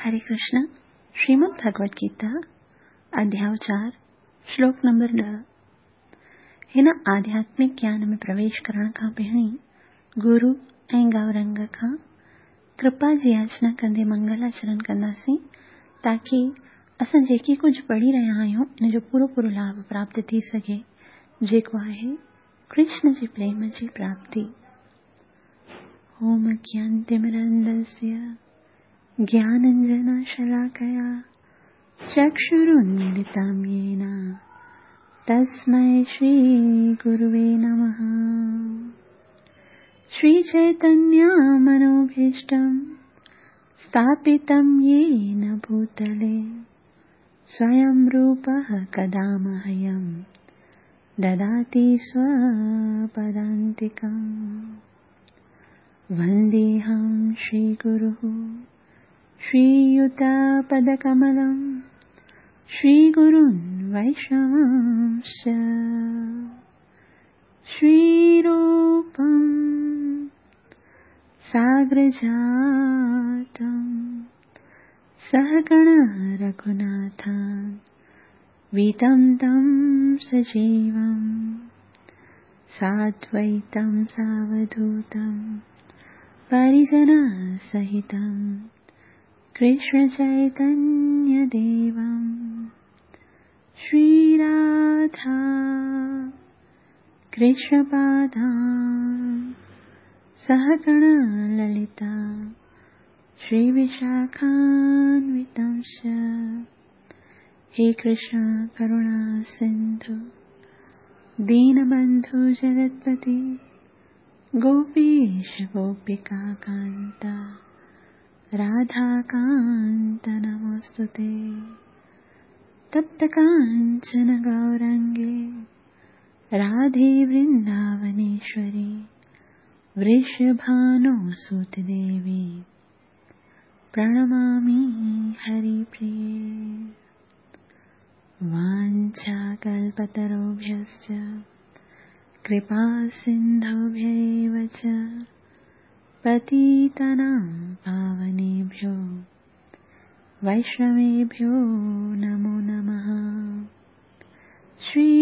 هري ڪرشن، شريمد ڀڳوت گيتا، اڌياء چار، شلوڪ نمبر 10. هن آڌياتمڪ گيان ۾ پرويش ڪرڻ کان پهرين گرو ۽ گئورنگ کان ڪرپا جي ياچنا ڪندي منگل آچرڻ ڪنداسين تاڪي اسان جيڪي ڪجهه پڙهي رهيا آهيون ان جو پورو پورو لاڀ پراپت ٿي سگهي جيڪو آهي ڪرشن جي پريم جي پراپتي. اوم اجنانتمرندسيه گيانانجنشلاڪيا چڪشرونميلتم يين تسمي شري گروي نمه. شري چيتنيه منوڀيشٽم اسٿاپتم يين ڀوتلي سويم روپه ڪدا مهيم دداتي سوپدانتڪم. ونديهم شري گروः شرييتپدڪملم شري گرون ويشنوانش شري روپم ساگرجاتم سهگڻ رگهوناٿان ويتم تم سجيوم سادويتم ساوڌوتم پريجن سهتم ڪرشن چيتنيه ديوم شري راڌا ڪرشن پادان سهگڻ للتا شري وشاکانوتمش. هي ڪرشن ڪروڻا سنڌو دين بنڌو جگتپتي گوپيش گوپيڪا ڪانتا راڌا ڪانت نموستتي. تپت ڪانچن گورانگي راڌي ورنداونيشوري ورشڀانوسوت ديوي پرڻمامي هري پريي. وانڇاڪلپتروڀيشچ ڪرپا سنڌوڀيو چ پتيتانام پاونيڀيو ويشنويڀيو نمو نمه. شري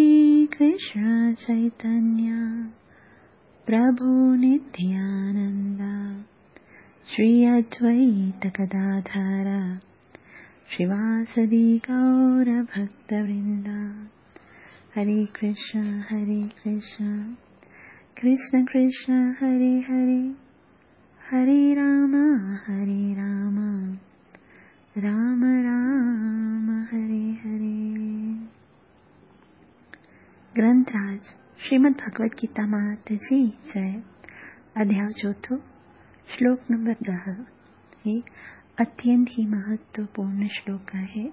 ڪرشن چيتنيه پرڀو نتيانند شري ادويت گداڌر شريواسدي گور ڀڪت ورندا. هري ڪرشن هري ڪرشن ڪرشن ڪرشن هري هري هري رام هري رام رام رام هري هري. گرنٿراج شريمد ڀڳوت گيتا مات جي جئي. اڌياء چوٿون، شلوڪ نمبر 10. هي اتينت ئي مهتوپورڻ شلوڪ آهي.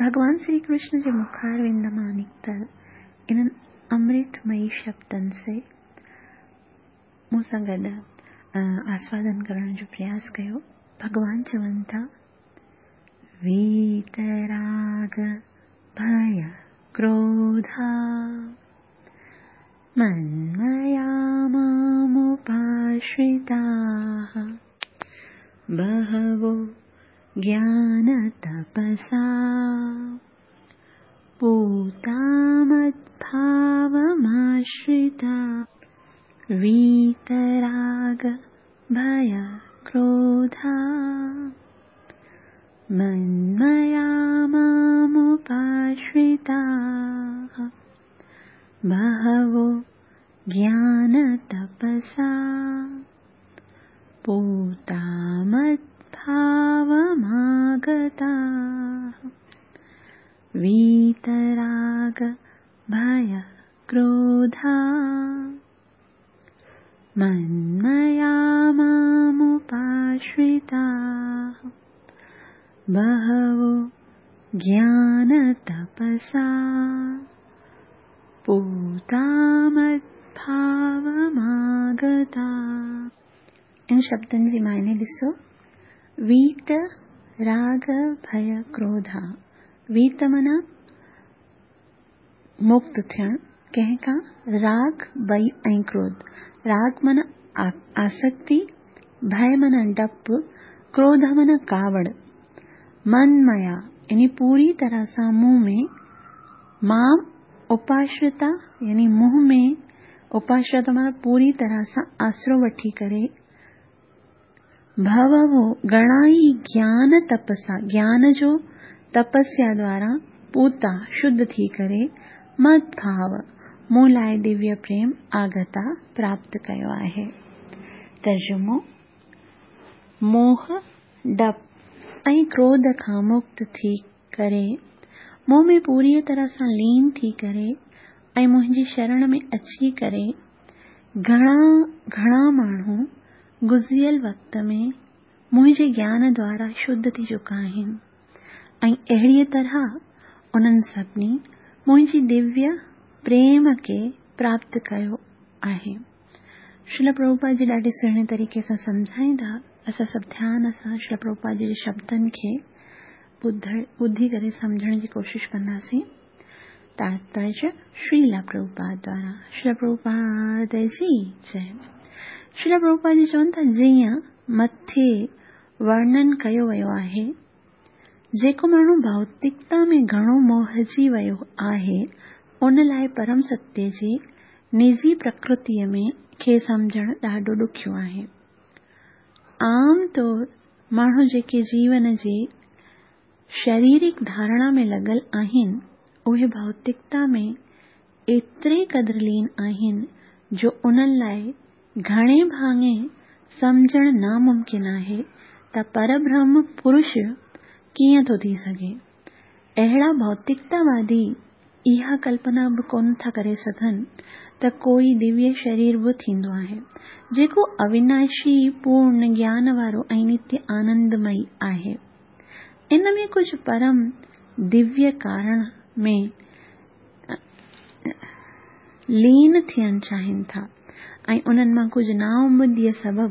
ڀڳوان شري ڪرشن جي مکاروند مان نڪتل انهن امرتمئي شبدن سي مون سان گڏ آسوادن ڪرڻ جو پرياس ڪيو. ڀڳوان چون ٿا، ويتراڳ ڀي ڪروڌا منميا مامپاشرتاः بهوو گيان تپسا پوتا مدڀاوماشرتا. ويتراڳ ڀي ڪروڌا منميا مامپاشرتاः بهوو گيان تپسا پوتا مدڀاوماگتاः. ويتراڳ ڀي ڪروڌا منميا مامپاشرتاः بهوو گيان تپسا پوتا مدڀاوماگتا. ان شبدن جي معني ڏسو، ويت راڳ ڀي ڪروڌا. ويت معنيٰ مڪت ٿيڻ، ڪنهن کان؟ راڳ، ڀي ۽ ڪروڌ. راڳ معنيٰ آسڪتي، ڀي معنيٰ ڊپ، ڪروڌ معنيٰ ڪاوڙ. من ميا يعني پوري طرح سان مون ۾، مام اپاشرتا يعني مون ۾، اپاشرتا معنيٰ پوري طرح سان آسرو وٺي ڪري، بهوو گهڻا ئي گيان تپسا، گيان جو تپسيا دوارا پوتا، شڌ ٿي ڪري، مد ڀاو، مون لاء دويه پريم، آگتا، پراپت ڪيو آهي. ترجمو، موهه، ڊپ ۽ ڪروڌ کان مڪت ٿي ڪري، مون ۾ پوريء طرح سان لين ٿي ڪري ۽ منهنجي شرڻ ۾ اچي ڪري گهڻا گهڻا ماڻهو گذريل وقت ۾ منهنجي گيان دوارا شڌ ٿي چڪا آهن ۽ اهڙيء طرح انهن سڀني منهنجي دويه پريم کي پراپت ڪيو آهي. شريلا پرڀوپاد جي ڏاڍي سهڻي طريقي سان سمجهائيندا. اسان سڀ ڌيان سان شريلا پرڀوپاد جي شبدن کي ٻڌي ڪري سمجهڻ جي ڪوشش ڪنداسين. تاتپريه شريلا پرڀوپاد دوارا شريلا پرڀوپاد جي جئي. شريلا پرڀوپاد جي چون ٿا جيئن مٿي ورڻن ڪيو ويو آهي، جيڪو ماڻهو ڀوتڪتا ۾ گهڻو موهجي ويو آهي، ان لاء پرم ستيه جي نجي پرڪرتيء ۾ کي سمجهڻ ڏاڍو ڏکيو آهي. عام طور ماڻهو جيڪي جيون جي شريرڪ ڌارڻا ۾ لڳل آهن، اهي ڀوتڪتا ۾ ايتري قدر لين آهن جو انهن لاء گهڻي ڀاڱي سمجهڻ ناممڪن آهي ته پربرهم پرش ڪيئن ٿو ٿي سگهي. اهڙا ڀوتڪتاوادي اها ڪلپنا به ڪونه ٿا ڪري سگهن ته ڪوئي دويه شرير به ٿيندو آهي، جيڪو اويناشي، پورن گيان وارو ۽ نتيه آنندمئي آهي. ان ۾ ڪجهه پرم دويه ڪارڻ ۾ لين ٿيڻ چاهين ٿا ۽ انهن مان ڪجهه نااميديء سبب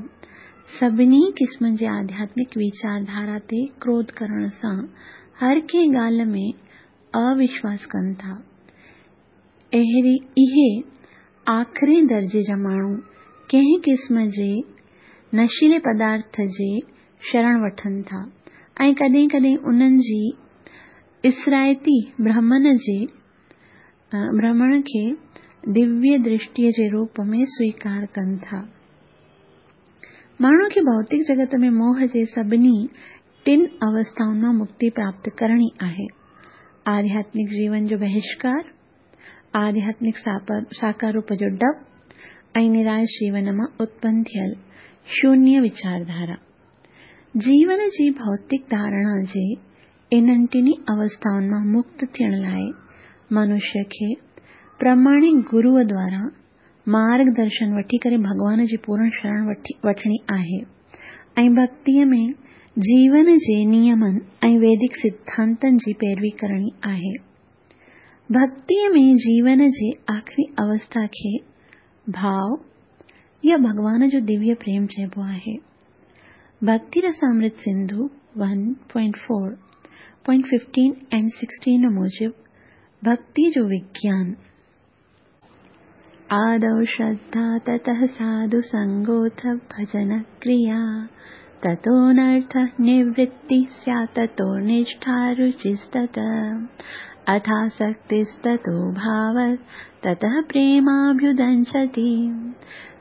سڀني قسمن جي آڌياتمڪ ويچار ڌارا تي ڪروڌ ڪرڻ سان هر ڪنهن ڳالهه ۾ اوشواس ڪن ٿا. اهي آخرين درجي جا ماڻهو ڪنهن قسم جي نشيلي پدارٿ جي شرڻ وٺن ٿا ۽ ڪڏهن ڪڏهن انهن جي اثرائتي برهمڻ جي برهمڻ کي دويه درشٽيء جي روپ ۾ سويڪار ڪن ٿا. ماڻهوء کي ڀوتڪ جڳت ۾ موهه جي سڀني ٽن اوسٿائن مان مڪتي پراپت ڪرڻي آهي، آڌياتمڪ جيون جو بهشڪار، آڌياتمڪ ساڪار روپ جو ڊپ ۽ نراش جيون مان اتپن ٿيل شونيه ويچارڌارا. جيون جي ڀوتڪ ڌارڻا جي انهن ٽنهي اوسٿائن مان مڪت ٿيڻ لاء منشيه کي پرماڻڪ گروء دوارا مارگ درشن وٺي ڪري ڀڳوان جي پورڻ شرڻ وٺڻي آهي ۽ ڀڳتيء ۾ جيون جي نيمن ۽ ويدڪ سڌانتن جي پيروي ڪرڻي آهي. ڀڳتيء ۾ جيون جي آخري اوسٿا کي ڀاء يا ڀڳوان جو دويه پريم چئبو آهي. ڀڳتي رسامرت Sindhu one point four point fifteen and sixteen موجب ڀڳتي جو وگيان آدو شرڌا تتः ساڌو سنگوٿ ڀجن ڪريا تتو نرٿ نورتي سيات تتو نشٺا رچستت اٿاسڪتستتو ڀاو تتः پريماڀيدنشتي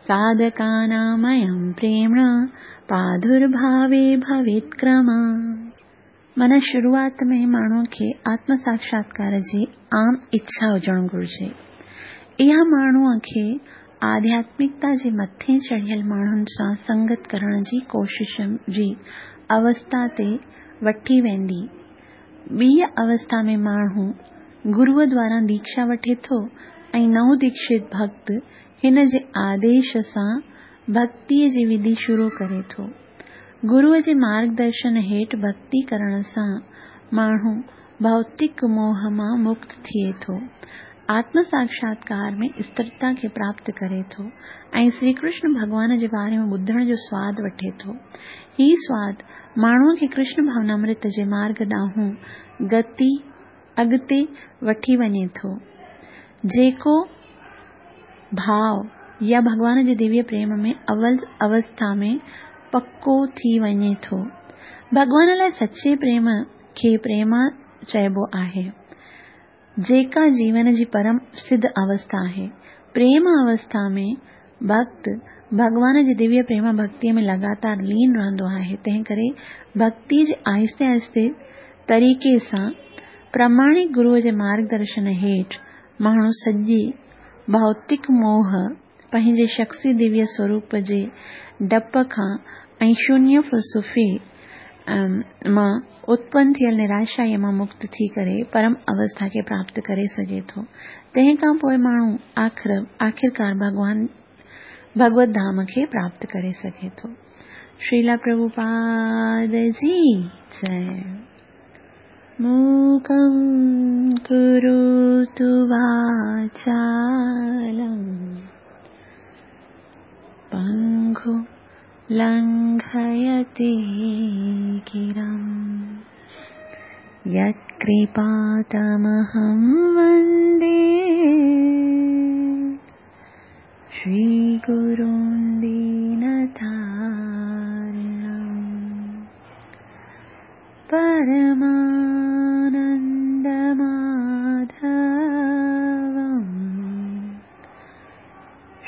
ساڌڪاناميم پريمڻ پراڌرڀاوي ڀويت ڪرم. معنيٰ شروعات ۾ ماڻهوء کي آتم ساکشاتڪار جي عام اڇا هجڻ گهرجي. اها ماڻهوء کي آڌياتمڪتا جي مٿي چڙهيل ماڻهن سان سنگت ڪرڻ جي ڪوشش جي اوسٿا تي وٺي ويندي. ٻيء اوسٿا ۾ ماڻهو گروء دواران ديکشا وٺي ٿو ۽ نئون ديکشت ڀڳت هن جي آديش سان ڀڳتيء جي وڌي شروع ڪري ٿو. گروء جي مارگ درشن هيٺ ڀڳتي ڪرڻ سان ماڻهو ڀوتڪ موهه مان مڪت ٿئي ٿو، آتم ساکشاتڪار ۾ استرتا کي پراپت ڪري ٿو ۽ سري ڪرشن ڀڳوان جي باري ۾ ٻڌڻ جو سواد وٺي ٿو. هي سواد ماڻهوء کي ڪرشن ڀاونامرت جي مارگ ڏانهن گتي، اڳتي، وٺي وڃي ٿو، جيڪو ڀاء يا ڀڳوان جي دويه پريم ۾ اول اوسٿا ۾ پڪو ٿي وڃي ٿو. ڀڳوان لاء سچي پريم کي پريما چئبو آهي، جيڪا جيون جي پرم سڌ اوسٿا آهي. پريم اوسٿا ۾ ڀڳت ڀڳوان جي دويه پريم ڀڳتيء ۾ لڳاتار لين رهندو آهي، تنهنڪري ڀڳتيء جي آهستي آهستي طريقي سان پرماڻڪ گروء جي مارگدرشن هيٺ ماڻهو سڄي ڀوتڪ موهه، پنهنجي شخصي دويه سوروپ جي ڊپ کان ۽ شونيه فلسفي مان اتپن ٿيل نراشائيء مان مڪت ٿي ڪري پرم اوسٿا کي پراپت ڪري سگهي ٿو. تنهن کان پوء ماڻهو آخر آخرڪار ڀڳوان ڀڳوت ڌام کي پراپت ڪري سگهي ٿو. شريلا پرڀوپاد جي جئه. موڪم ڪروتو واچالم پنگو لنگهيتي گرم يتڪرپا تمهم وندي شري گرون دينتارڻم پرمانند ماڌوم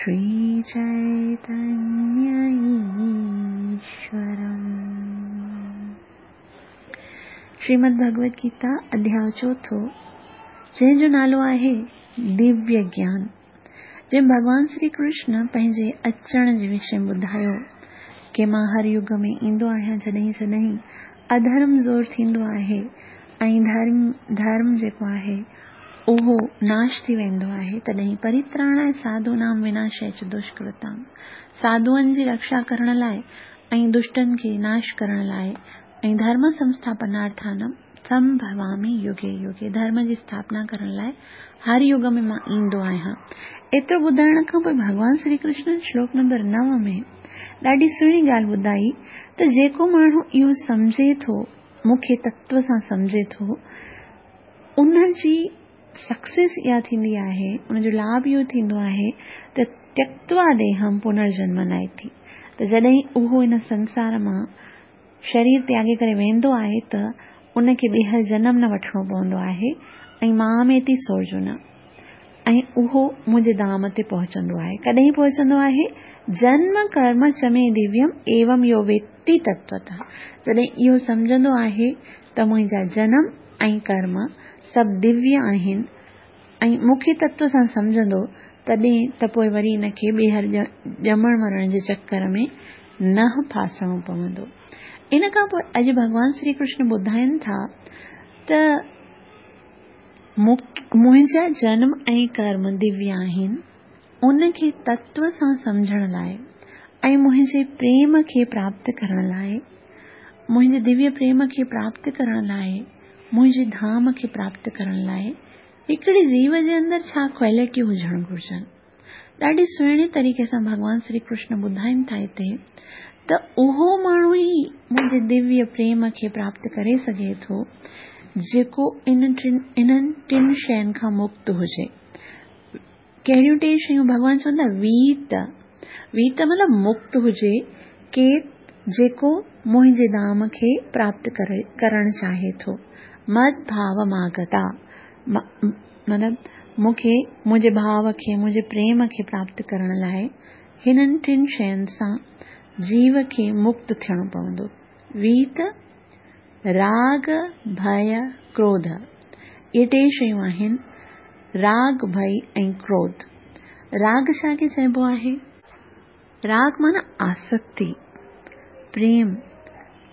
شري چيتنيه ايشورم. شريمد ڀڳوت گيتا اڌياء چوٿو جنهن جو نالو آهي دويه گيان جنهن ڀڳوان شري ڪرشن پنهنجي اچڻ جي وشي ۾ ٻڌايو ڪي مان هر يگ ۾ ايندو آهيان جڏهن جڏهن اڌرم زور ٿيندو آهي ۽ ڌرم ڌرم جيڪو آهي اهو ناش ٿي ويندو آهي تڏهن پريتراڻاء ساڌونام وناشاء چ دشڪرتام ساڌوئن جي رڪشا ڪرڻ لاء ۽ دشٽن کي ناش ڪرڻ لاء ۽ ڌرم سنسٿاپنارٿانم سنڀوامي يگي يگي ڌرم جي اسٿاپنا ڪرڻ لاء هر يگ ۾ مان ايندو آهيان. ايترو ٻڌائڻ کان پوء ڀڳوان شري ڪرشن شلوڪ نمبر نو ۾ ڏاڍي سهڻي ڳالهه ٻڌائي ته جيڪو ماڻهو اهو سمجهي ٿو، مون کي تتو سان سمجهي ٿو، ان جي سڪسيس اها ٿيندي آهي، ان جو لاڀ اهو ٿيندو آهي ته تيڪتوا ديهم پنرجنم ناهي ته جڏهن اهو هن سنسار مان شرير تياڳي ڪري ويندو آهي ته ان کي ٻيهر جنم نه وٺڻو پوندو آهي ۽ ماميتي سورجن ۽ اهو منهنجي ڌام تي پهچندو آهي. ڪڏهن پهچندو آهي؟ جنم ڪرم چ مي دويم ايوم يو ويتي تتوتः جڏهن اهو سمجهندو آهي ته منهنجا جنم ۽ ڪرم سڀ دويه آهن ۽ مون کي تتو سان سمجهندو تڏهن ته پوء وري ان کي ٻيهر ڄمڻ مرڻ جي چڪر ۾ نه ڦاسڻو پوندو. ان کان پوء اڄ ڀڳوان شري ڪرشن ٻڌائين ٿا ته منهنجا جنم ۽ ڪرم دويه آهن، ان کي تتو سان سمجهڻ لاء ۽ منهنجي پريم کي پراپت ڪرڻ لاء، منهنجي دويه پريم کي پراپت ڪرڻ لاء، منهنجي ڌام کي پراپت ڪرڻ لاء هڪڙي جيو جي اندر ڇا ڪوالٽيون هجڻ گهرجن. ڏاڍي سهڻي طريقي سان ڀڳوان شري ڪرشن ٻڌائين ٿا هتي ته اهو ماڻهو ئي منهنجي دويه پريم کي پراپت ڪري سگهي ٿو جيڪو انهن ٽن شين کان مڪت هجي. ڪهڙيون ٽي شيون ڀڳوان چون ٿا ويت، ويت مطلب مڪت هجي ڪير جيڪو منهنجي ڌام کي پراپت ڪرڻ چاهي ٿو مد ڀاو ماگتا مطلب مون کي منهنجي ڀاو کي منهنجي پريم کي پراپت ڪرڻ لاء هنن ٽن شين سان جيو کي مڪت ٿيڻو پوندو ويت راڳ، ڀئه، ڪروڌ، اهي ٽي شيون آهن، راڳ، ڀئي ۽ ڪروڌ. راڳ ڇا کي چئبو آهي؟ راڳ معنيٰ آسڪتي، پريم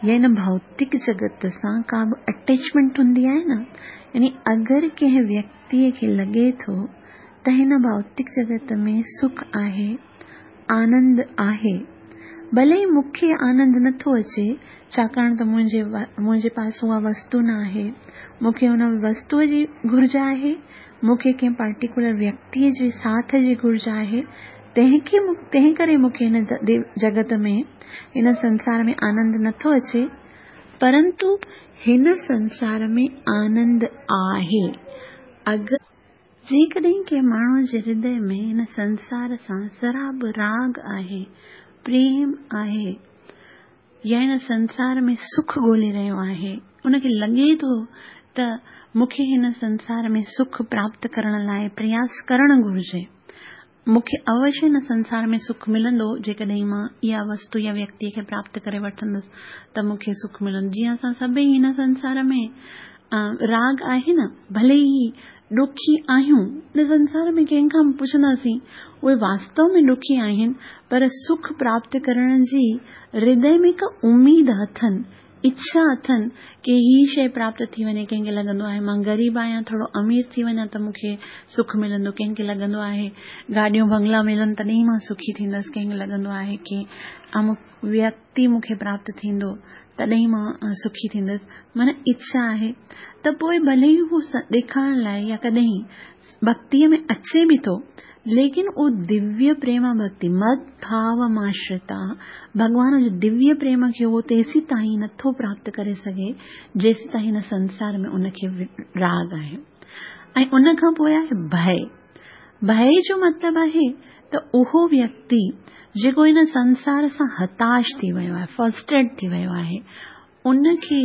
يا هن ڀوتڪ جڳت سان ڪا به اٽيچمينٽ هوندي آهي نه، يعني اگر ڪنهن ويڪتيء کي لڳي ٿو ته هن ڀوتڪ جڳت ۾ سک آهي، آنند آهي. ڀلي ئي مون کي آنند نه ٿو اچي، ڇاڪاڻ ته منهنجي منهنجي پاس اها وستو نه آهي. مون کي ان وستوء جي گهرج آهي، مون کي ڪنهن پارٽيڪولر ويڪتيء جي ساٿ جي گهرج آهي، تنهن کي تنهن ڪري مون کي هن جڳت ۾، هن سنسار ۾ آنند نه ٿو اچي. پرنتو هن سنسار ۾ آنند آهي. اگر. جيڪڏهن ڪنهن ماڻهوء جي هردي ۾ هن سنسار سان ذرا به راڳ آهي، پريم آهي، يا هن سنسار ۾ سک ڳولي رهيو آهي، ان کي لڳي ٿو ته مون کي هن سنسار ۾ سک پراپت ڪرڻ لاء پرياس ڪرڻ گهرجي. مون کي اوشيه هن سنسار ۾ سک ملندو، جيڪڏهن مان اها وستو يا ويڪتيء کي پراپت ڪري وٺندس ته مون کي سک ملندو. جيئن اسان سڀئي هن سنسار ۾ راڳ آهي نه، ڀلي ئي ڏکي آهيون، هن سنسار ۾ ڪنهن کان به پڇنداسين، اهي واستو ۾ ڏکي آهن، پر سک پراپت ڪرڻ جي هردي ۾ هڪ اميد اٿن، اڇا اٿن ڪي هي شيء پراپت ٿي وڃي، ڪنهن کي لڳندو آهي مان غريب آهيان ٿورو امير ٿي وڃان ته مون کي سک ملندو، ڪنهن کي لڳندو آهي گاڏيون بنگلا ملن تڏهن ئي مان سکي ٿيندس، ڪنهن کي لڳندو آهي ڪي امڪ ويڪتي مون کي پراپت ٿيندو تڏهن ئي مان سکي ٿيندس، معنيٰ اڇا آهي ته پوء ڀلي ئي هو ڏيکارڻ لاء يا ڪڏهن ڀڳتيء ۾ اچي به ٿو، ليڪن اهو دويه پريما ڀڳتي، مد ڀاو ماشرتا، ڀڳوان جي دويه پريم کي اهو تيسيتائين نٿو پراپت ڪري سگهي، جيسيتائين هن سنسار ۾ ان کي راڳ آهي. ۽ ان کان پوء آهي ڀئي. ڀئي جو مطلب آهي ته اهو ويڪتي جيڪو هن سنسار سان هتاش ٿي ويو آهي، فرسٽريٽ ٿي ويو آهي، ان کي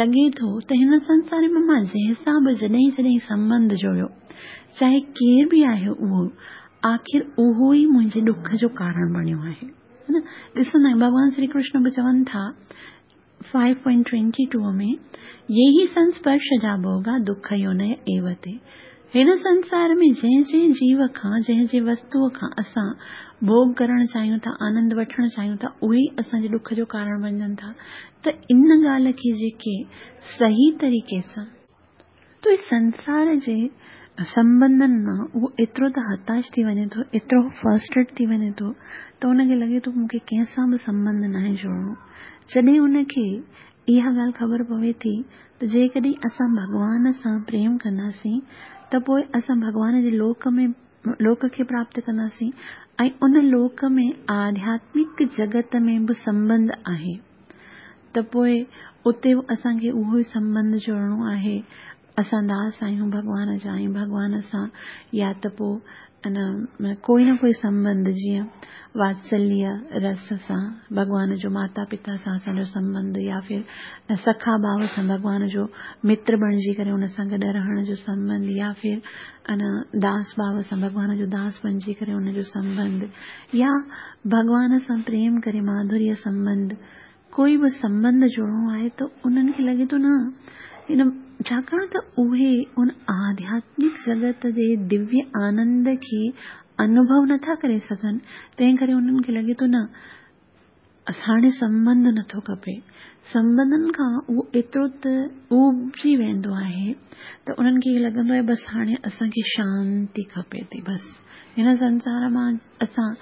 لڳي ٿو ته هن سنسار ۾ مان جنهن سان به جڏهن جڏهن سنٻنڌ جوڙيو، چاهي ڪير به آهي اهو، آخر اهو ئي منهنجي ڏک جو ڪارڻ بڻيو آهي. نه ڏسندا آهيون ڀڳوان شري ڪرشن به چون ٿا 5.22 ۾ ييهي سنسپرش جا ڀوڳا دک يونئ ايو تي. هن سنسار ۾ جنهن جنهن جيو کان، جنهن جنهن وستوء کان اسان ڀوڳ ڪرڻ چاهيون ٿا، آنند وٺڻ چاهيون ٿا، اهي ئي اسان جي ڏک جو ڪارڻ بنجن ٿا ته ان ڳالهه کي جيڪي صحيح طريقي سان. ته اهي سنسار جي سنٻنڌن مان اهو ايترو ته هتاش ٿي وڃي ٿو، ايترو فرسٽريٽ ٿي وڃي ٿو ته ان کي لڳي ٿو مون کي ڪنهن سان به سنٻنڌ ناهي جوڙڻو. جڏهن ان کي اها ڳالهه خبر پوي ٿي ته جيڪڏهن اسان ڀڳوان سان پريم ڪنداسين ته پوء اسان ڀڳوان جي لوڪ ۾ لوڪ کي پراپت ڪنداسين ۽ ان لوڪ ۾ آڌياتمڪ جڳت ۾ به سنٻنڌ آهي ته پوء اتي به اسان کي اهو ئي سنٻنڌ جوڙڻو آهي اسان داس آهيون ڀڳوان جا ۽ ڀڳوان سان يا ته پوء ان ڪوئي نه ڪوئي سنٻنڌ جيئن واتسليه رس سان ڀڳوان جو ماتا پتا سان اسان جو سنٻنڌ يا ڦر سکا ڀاو سان ڀڳوان جو متر بڻجي ڪري ان سان گڏ رهڻ جو سنٻنڌ يا ڦر ان داس ڀاو سان ڀڳوان جو داس بڻجي ڪري ان جو سنٻنڌ يا ڀڳوان سان پريم ڪري ماڌوريه سنٻنڌ ڪوئي به سنٻنڌ جوڙڻو آهي ته انهن کي لڳي ٿو نه ان ڇاڪاڻ ته اهي ان آڌياتمڪ جڳت جي دويه آنند کي انوڀو نٿا ڪري سگهن تنهن ڪري انهن کي لڳي ٿو نه هاڻي سنٻنڌ نٿو کپي سنٻنڌن کان اهو ايترو ته اوبجي ويندو آهي ته انهن کي لڳندو آهي بس هاڻي اسان کي شانتي کپي ٿي بس هن سنسار مان اسان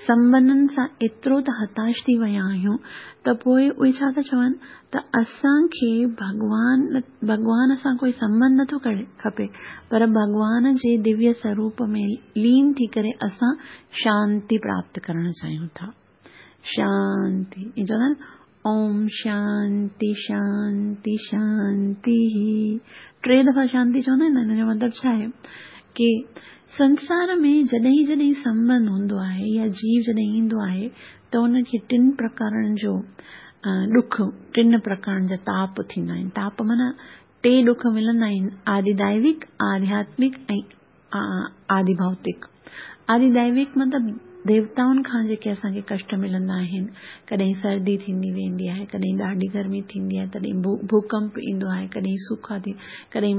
سنٻنڌن سان ايترو ته هتاش ٿي ويا آهيون ته پوء اهي ڇا ٿا چون ته اسان کي ڀڳوان ڀڳوان سان ڪوئي سنٻنڌ نٿو کپي پر ڀڳوان جي دويه سروپ ۾ لين ٿي ڪري اسان شانتي پراپت ڪرڻ چاهيون ٿا. شانتي ائين چوندا آهن اوم شانتي شانتي شانتي ٽي دفعا شانتي چوندا آهن نه ان جو مطلب ڇا آهي ڪي سنسار ۾ جڏهن جڏهن سنٻنڌ هوندو آهي يا جيو جڏهن ايندو آهي ته ان کي ٽن پرڪارن جو ڏک ٽن پرڪارن جا تاپ ٿيندا آهن تاپ معنيٰ ٽي ڏک ملندا آهن آدي دائوڪ آڌياتمڪ ۽ آدي ڀوتڪ، آدي دئويڪ مطلب ديوتائن کان جيڪي اسان کي ڪشٽ ملندا آهن، ڪڏهن سردي ٿيندي ويندي آهي، ڪڏهن ڏاڍي گرمي ٿيندي آهي، تڏهن ڀوڪمپ ايندو آهي، ڪڏهن سوکا ٿي، ڪڏهن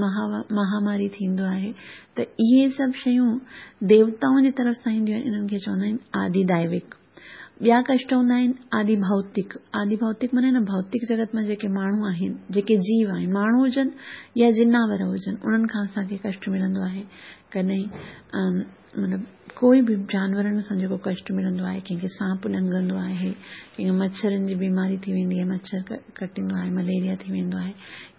مهاماري ٿيندو آهي ته اهي سڀ شيون ديوتائن جي طرف سان اينديون آهن، انهن کي چوندا آهن آدي دئويڪ. ٻيا ڪشٽ هوندا آهن آدي ڀوتڪ، آدي ڀوتڪ معنيٰ هن ڀوتڪ جڳت مان جيڪي ماڻهو آهن، جيڪي جيو آهن، ماڻهو هجن يا جناور هجن، انهن کان اسان کي ڪشٽ ملندو آهي. ڪڏهن مطلب ڪوئي به جانورن سان جيڪو ڪشٽ ملندو آهي، ڪنهن کي سانپ ڏنگندو آهي، ڪنهن کي مڇرن جي بيماري ٿي ويندي آهي، مڇر ڪٽيندو آهي، مليريا ٿي ويندو آهي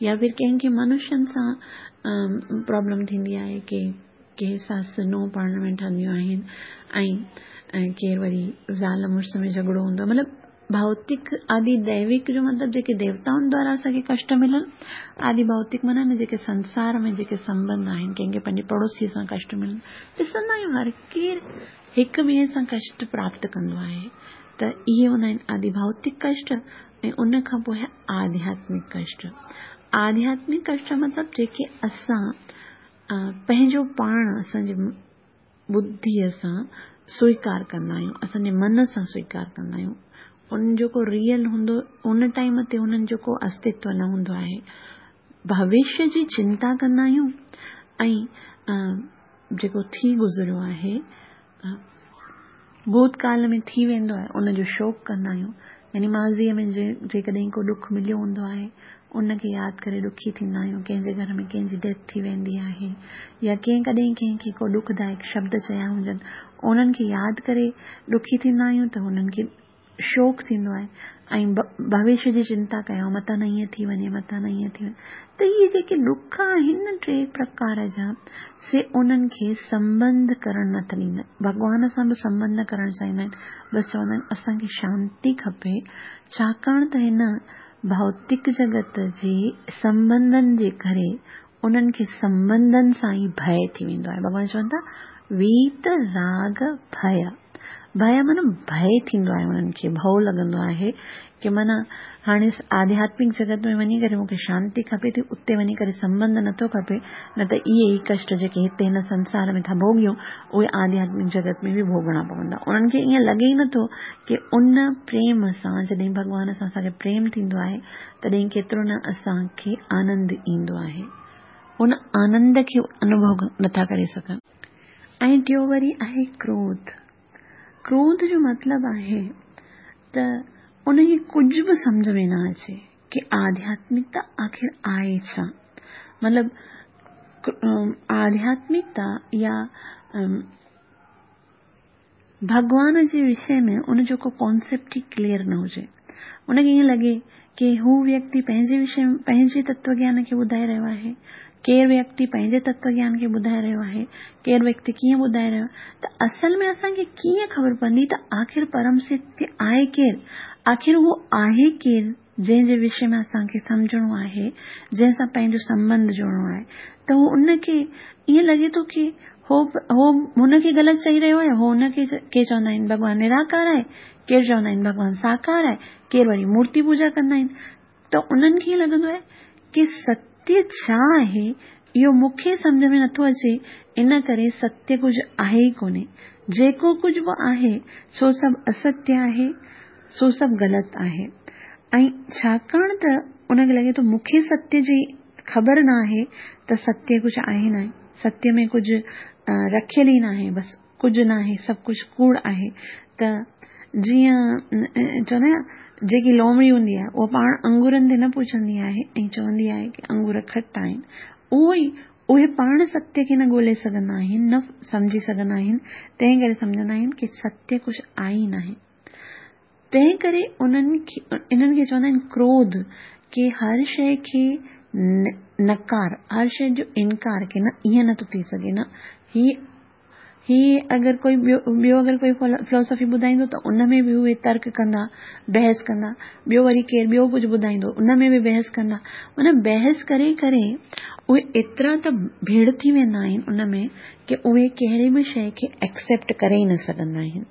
يا ڦر ڪنهن کي منشين سان پرابلم ٿيندي آهي، ڪي ڪي سس نونهن پاڻ ۾ ٺهنديون آهن ۽ ڪير وري زال مڙس ۾ جهڳڙو هوندو آهي مطلب ڀوتڪ آدي دئويڪ جو مطلب جيڪي ديوتائن دوارا اسان کي ڪشٽ ملن آدي ڀوتڪ معنيٰ نه جيڪي سنسار ۾ جيڪي سنٻنڌ آهن ڪنهن کي پنهنجي پڙوسي سان ڪشٽ ملن ڏسندا آهيون هر ڪير هڪ ٻئي سان ڪشٽ پراپت ڪندو آهي ته اهي هوندا آهن آدي ڀوتڪ ڪشٽ ۽ ۽ ان کان پوء آهي آڌياتمڪ ڪشٽ. آڌياتمڪ ڪشٽ مطلب جيڪي اسان پنهنجو پاڻ اسان جي ٻڌيء سان سويڪار ڪندا آهيون، اسان جي من سان سويڪار ڪندا آهيون. ان جو ڪو ريئل هوندو ان ٽائيم تي انهن جو ڪو استتو نه هوندو آهي. ڀوشيه جي چنتا ڪندا آهيون ۽ جيڪو ٿي گذريو آهي، ڀوتڪال ۾ ٿي ويندو آهي، ان جو شوڪ ڪندا آهيون. يعني ماضيء ۾ جيڪڏهن ڪو ڏک مليو هوندو آهي، ان کي ياد ڪري ڏکي ٿيندا آهيون. ڪنهن جي گهر ۾ ڪنهن جي ڊيٿ ٿي ويندي آهي يا ڪنهن ڪڏهن ڪنهن کي ڪو ڏکدائڪ شبد چيا هجن، انهن کي ياد ڪري ڏکي ٿيندا آهيون ته انهن کي شوڪ ٿيندو آهي ۽ ڀوشيه جي چنتا ڪيان متان نه ائين ٿي وڃي متان نه ائين ٿي وڃي ته اهي جيڪي ڏک آهن نه ٽي پرڪار جا سي انهن کي سنٻنڌ ڪرڻ نه ٿا ڏيندا ڀڳوان سان به سنٻنڌ نه ڪرڻ چاهيندا آهن بس چوندا آهن اسان کي شانتي کپي ڇاڪاڻ ته هن ڀوتڪ جڳت جي سنٻنڌن جي ڪري انهن کي سنٻنڌن سان ئي ڀئه ٿي ويندو آهي. ڀڳوان چون ٿا، ويت راڳ ڀئه. ڀئه معنيٰ ڀئه ٿيندو آهي انهن کي، ڀؤ لڳندو آهي ڪي معنيٰ هاڻي آڌياتمڪ جڳت ۾ وڃي ڪري مون کي شانتي کپي ٿي، اتي وڃي ڪري سنٻنڌ نٿو کپي، نه ته اهي ئي ڪشٽ جيڪي هتي هن سنسار ۾ ٿا ڀوڳيون، اهي آڌياتمڪ جڳت ۾ به ڀوڳڻا پوندا. انهن کي ائين لڳي ئي نٿو ڪي ان پريم سان جڏهن ڀڳوان سان اسان کي پريم ٿيندو آهي تڏهن ڪيترو نه اسان کي آنند ايندو آهي. ان آنند کي انوڀو نٿا ڪري سگهن. ۽ ٽيون وري آهي ڪروڌ. ڪروڌ جو مطلب آهي ته ان کي ڪجهه به سمجهه ۾ نه اچي ڪي آڌياتمڪتا آخر آهي ڇا؟ مطلب آڌياتمڪتا يا ڀڳوان جي وشي ۾ ان جو ڪو ڪانسيپٽ ئي ڪليئر نه هجي. ان کي ائين لڳي ڪي هو ويڪتي پنهنجي وشي ۾ پنهنجي تتو گيان کي ٻڌائي رهيو آهي، ڪير ويڪتي پنهنجي تتو گيان کي ٻڌائي رهيو آهي، ڪير ويڪتي ڪيئن ٻڌائي رهيو آهي ته اصل ۾ اسان کي ڪيئن خبر پوندي ته آخر پرم ستيه آهي ڪير؟ آخر اهو آهي ڪير جنهن جي وشي ۾ اسان کي سمجهڻو آهي، جنهن سان پنهنجو سنٻنڌ جوڙڻو آهي ته هو ان کي ائين لڳي ٿو ڪي هو هو هن کي غلط چئي رهيو آهي، هو ان کي ڪي چوندا آهن ڀڳوان نراڪار آهي، ڪير چوندا آهن ڀڳوان ساڪار آهي، ڪير وري مورتي پوڄا ڪندا آهن ته انهن کي ائين لڳندو آهي ڪي ستيه ڇا آهي اهو مون کي سمجهه ۾ نٿو اچي ان ڪري ستيه ڪجهه آهي ئي ڪونهي، جيڪو ڪجهه به آهي سو سڀ اسستيه آهي. سو سڀ غلط آهي ۽ ڇاڪاڻ ته ان کي لڳي ٿو مون کي ستيه جي خبر نه آهي ته ستيه ڪجهه آهي ناهي، ستيه ۾ ڪجهه رکيل ئي ناهي، بس ڪجهه ناهي، سڀ ڪجهه ڪوڙ آهي ته جيئن چوندا آهن جيڪي لومڙي هوندي آهي اها پاڻ انگورن تي نه پهچندي آهي ۽ چوندي آهي ڪي انگور کٽا آهن اهو ئي اهي پاڻ ستيه کي نه ڳولي سگهندا آهن نه سمجهي سگهندا آهن تنهن ڪري سمجهندا آهن ڪي ستيه ڪجهه آهي ئي ناهي. تنهن ڪري انهن کي انهن کي چوندا آهن ڪروڌ ڪي هر شيء کي نڪار هر شيء جو انڪار ڪي نه ائين نٿو ٿي سگهي نه هي هي اگر ڪوئي ٻيو ٻيو اگر ڪوئي فلاسافي ٻڌائيندو ته ان ۾ به اهي ترڪ ڪندا بحث ڪندا ٻيو وري ڪير ٻيو ڪجهه ٻڌائيندو ان ۾ به بحث ڪندا ان بحث ڪري ڪري اهي ايترا ته ڀيڙ ٿي ويندا آهن ان ۾ ڪي اهي ڪهڙي به شيء کي ايڪسيپٽ ڪري ئي نه سگهندا آهن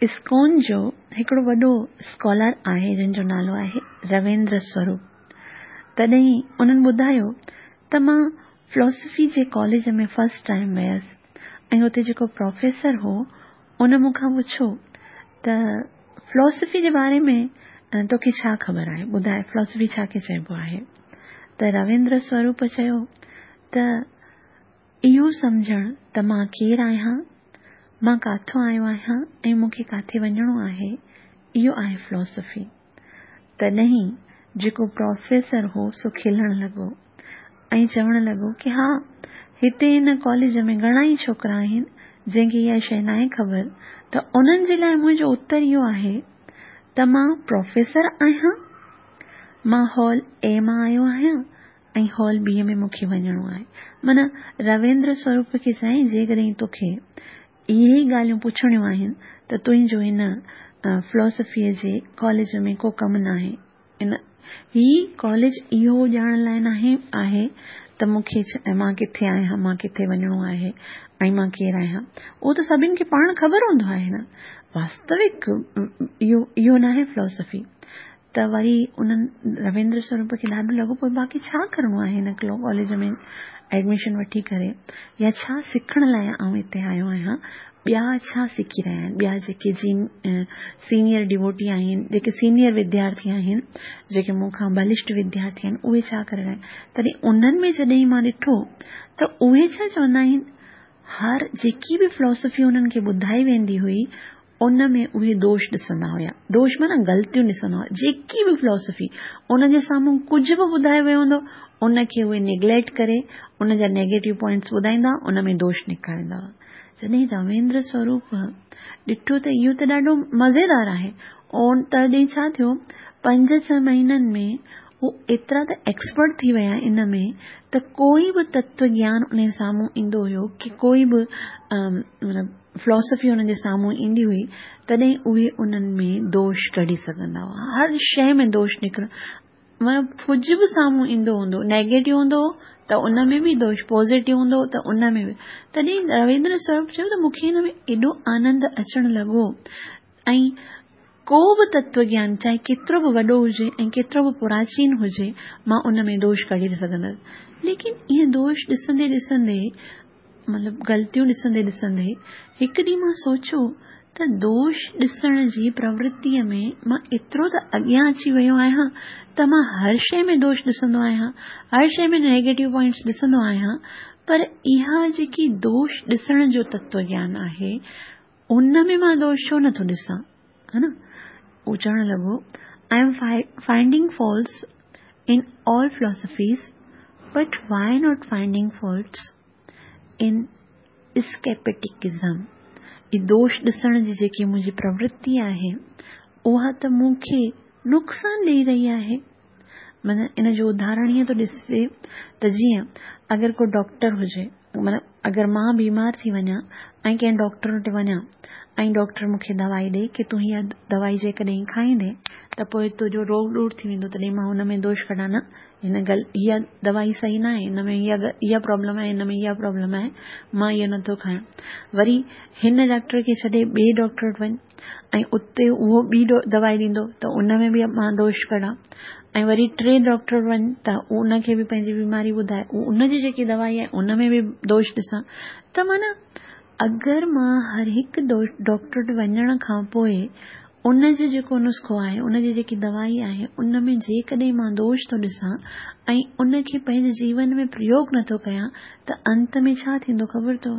اسڪون جو هڪڙو وڏو اسڪالر آهي جنهن جو نالو آهي رويندر سوروپ تڏهن انهن ٻڌايو ته مان فلاسفي جي ڪاليج ۾ فرسٽ ٽائيم ويس ۽ اتي جيڪو پروفيسر هو ان مون کان پڇيو ته فلاسفي جي باري ۾ توکي ڇا خبر آهي ٻڌاء فلاسفي ڇا کي چئبو آهي ته رويندر سوروپ چيو ته اهو سمجهڻ ته مان ڪير آهيان، مان ڪاٿو آيو آهيان ۽ مون کي ڪاٿي وڃڻو آهي، اهو آهي فلاسافي. تڏهن جيڪو پروفيسر هو سو کلڻ لڳو ۽ چوڻ لڳو ڪي ها، هتي هن ڪاليج ۾ گهڻا ئي ڇوڪرا آهن جنهن کي اها شيء ناهي خبر ته انهن جي لاء منهنجو اتر اهو آهي ته مان پروفيسر آهيان، مان هال اي مان آيو آهيان ۽ هال بي ۾ مون کي وڃڻو آهي. معنيٰ رويندر سوروپ کي چيائين جيڪڏهن توکي اهي ئي ڳالهيون پڇڻيون آهن ته تنهنجو هن فلاسافيء جي ڪاليج ۾ ڪو ڪم ناهي. ان هي ڪاليج اهو ڄاڻڻ لاء ناهي آهي ته مون کي مان ڪٿي آهيان، مان ڪٿي وڃڻو آهي ۽ مان ڪير آهيان. اهو ته سڀن کي پاڻ خبر هوندو آهي نه. واستوڪ اهو اهو ناهي فلاسافي. ته وري انهن رويندر سوروپ کي ڏاڍو لڳو پوء باقي ڇا ڪرڻو آهي هن ڪاليج ۾ ايڊميشن وٺي ڪري يا ڇا سکڻ لاء آئون هتي آيو آهيان ٻيا ڇا سکي رهيا آهن ٻيا جيڪي جين سينيئر ڊيووٽي آهن جيڪي سينيئر وديارٿي آهن جيڪي مون کان بلشٽ وديارٿي آهن اهي ڇا ڪري رهيا آهن تڏهن انهن ۾ جڏهن مان ڏٺو ته اهي ڇا چوندا آهن هر جيڪي به فلاسافي انهن کي ٻڌائي ويندي هئي ان ۾ اهي دوش ڏسندا هيا. دوش معنيٰ غلطيون ڏسندا هئا. جيڪي به فلاسافي انهن جي سامهون ڪجهه به ٻڌايو ويو هوندو ان کي اهي نيگليڪٽ ڪري ان جا نيگيٽو پوائنٽس ٻڌائيندا هئا ان ۾ دوش نڪاريندا هئا. جڏهن رويندر سوروپ ڏٺو ته اهو ته ڏاڍو مزيدار آهي. تڏهن ڇا ٿيو پنج ڇهه مهينن ۾ هو ايترا ته ايڪسپرٽ ٿي ويا ان ۾ ته ڪوئي به تتو گيان انهن جي سامهون ايندو هيو ڪي ڪوئي به مطلب فلاسافي انهن جي سامهون ايندي هئي تڏهن اهي انهن ۾ دوش ڪڍي سگهندا هئا هر شيء ۾ دوش نڪر مطلب ڪجهه به سامهون ايندو هوندو نيگيٽو هوندو هو ته ان ۾ به دوش پازيٽو هوندو هو ته ان ۾ به تڏهن رويندر سوروپ چيو ته مون کي هن ۾ ايڏو آنند اچڻ لڳو ۽ ڪو به تتو گيان چاهي ڪيترو به وڏو هجي ۽ ڪيترو به پراچين هجي مان ان ۾ دوش ڪڍي نه سگهندس ليڪن اهي دوش ڏسندي ڏسندي مطلب غلطيون ڏسندي ڏسندي هڪ ڏينهن مان سوچيو ته دوش ڏسڻ جي پرورتيء ۾ مان ايترو ته اڳيان اچي ويو آهيان ته مان هر شيء ۾ دوش ڏسندو آهيان هر شيء ۾ نيگيٽو پوائنٽس ڏسندو آهيان پر اها جيڪي دوش ڏسڻ جو تتو گيان آهي ان ۾ مان دوش ڇو نٿو ڏسان ها نه هو چوڻ لڳو I am finding faults in all philosophies but why not finding faults in scepticism هي دوش ڏسڻ جي جيڪي منهنجي پرورتي آهي اها ته مون کي نقصان ڏئي رهي آهي معنيٰ ان جو اداهرڻ ائين ٿو ڏسجي ته جيئن اگر ڪو ڊاڪٽر هجي معنيٰ اگر مان بيمار ٿي وڃان ۽ ڪنهن ڊاڪٽر وٽ وڃان ۽ ڊاڪٽر مون کي دوائي ڏئي ڪي تون هيء دوائي جيڪڏهن کائيندين ته پوء تنهنجو روڳ ڏور ٿي ويندو تڏهن مان ان ۾ دوش ڪڍان نه هن گل هيء دوائي صحيح ناهي هن ۾ هيء اها پرابلم آهي هن ۾ اها پرابلم آهي مان اهو نٿو کايان وري هن ڊاڪٽر کي ڇڏي ٻئي ڊاڪٽر وٽ وڃ ۽ اتي اهو ٻي دوائي ڏيندو ته ان ۾ به مان دوش ڪڍان ۽ وري ٽي ڊاڪٽر وٽ وڃ ته ان کي به پنهنجي بيماري ٻڌائي ان جي جيڪي دوائي آهي ان ۾ به دوش ڏسان ته معنيٰ اگر مان هر هڪ ڊاڪٽر وٽ وڃڻ کان پوء ان جو جيڪو نسخو آهي ان جي جيڪي دوائي آهي ان ۾ جيڪڏهن مان دوش ٿو ڏسان ۽ ان کي پنهنجي جيون ۾ پريوگ نٿو ڪيان ته انت ۾ ڇا ٿيندو خبر اٿو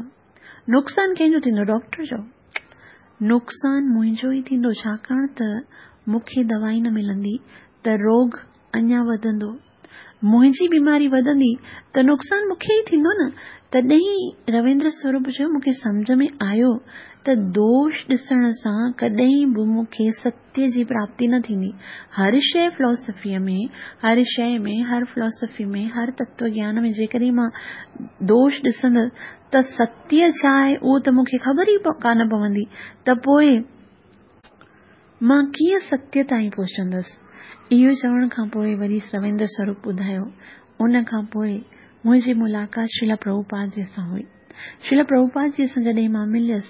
نقصان ڪنهن جو ٿيندو ڊاڪٽر جو نقصان منهنجو ئي ٿيندو ڇاڪاڻ ته مون کي دوائي نه ملندي ته روڳ اڃا وڌندو منهنجي بيماري وڌندي ته نقصان مون کي ئي ٿيندو نه تڏهن رويندر سوروپ چيو مون کي سمجهه ۾ آيو ته دوش ڏسڻ سان ڪڏهن به مون کي ستيه جي پراپتي نه ٿيندي. هر شيء فلاسافيء ۾، هر شيء ۾، هر فلاسافي ۾، هر تتو گيان ۾ جيڪڏهن مان دوش ڏسندس ته ستيه ڇا آهي اهو ته مون کي خبر ئي ڪانه پوندي ته پوء مان ڪيئن ستيه تائين پهچندس؟ اهو چوڻ کان پوء وري رويندر سوروپ ٻڌايو، ان کان پوء منهنجي ملاقات شريلا پرڀوپاد جي سان هئي. شريلا پرڀوپاد جي سان جڏهن مان مليس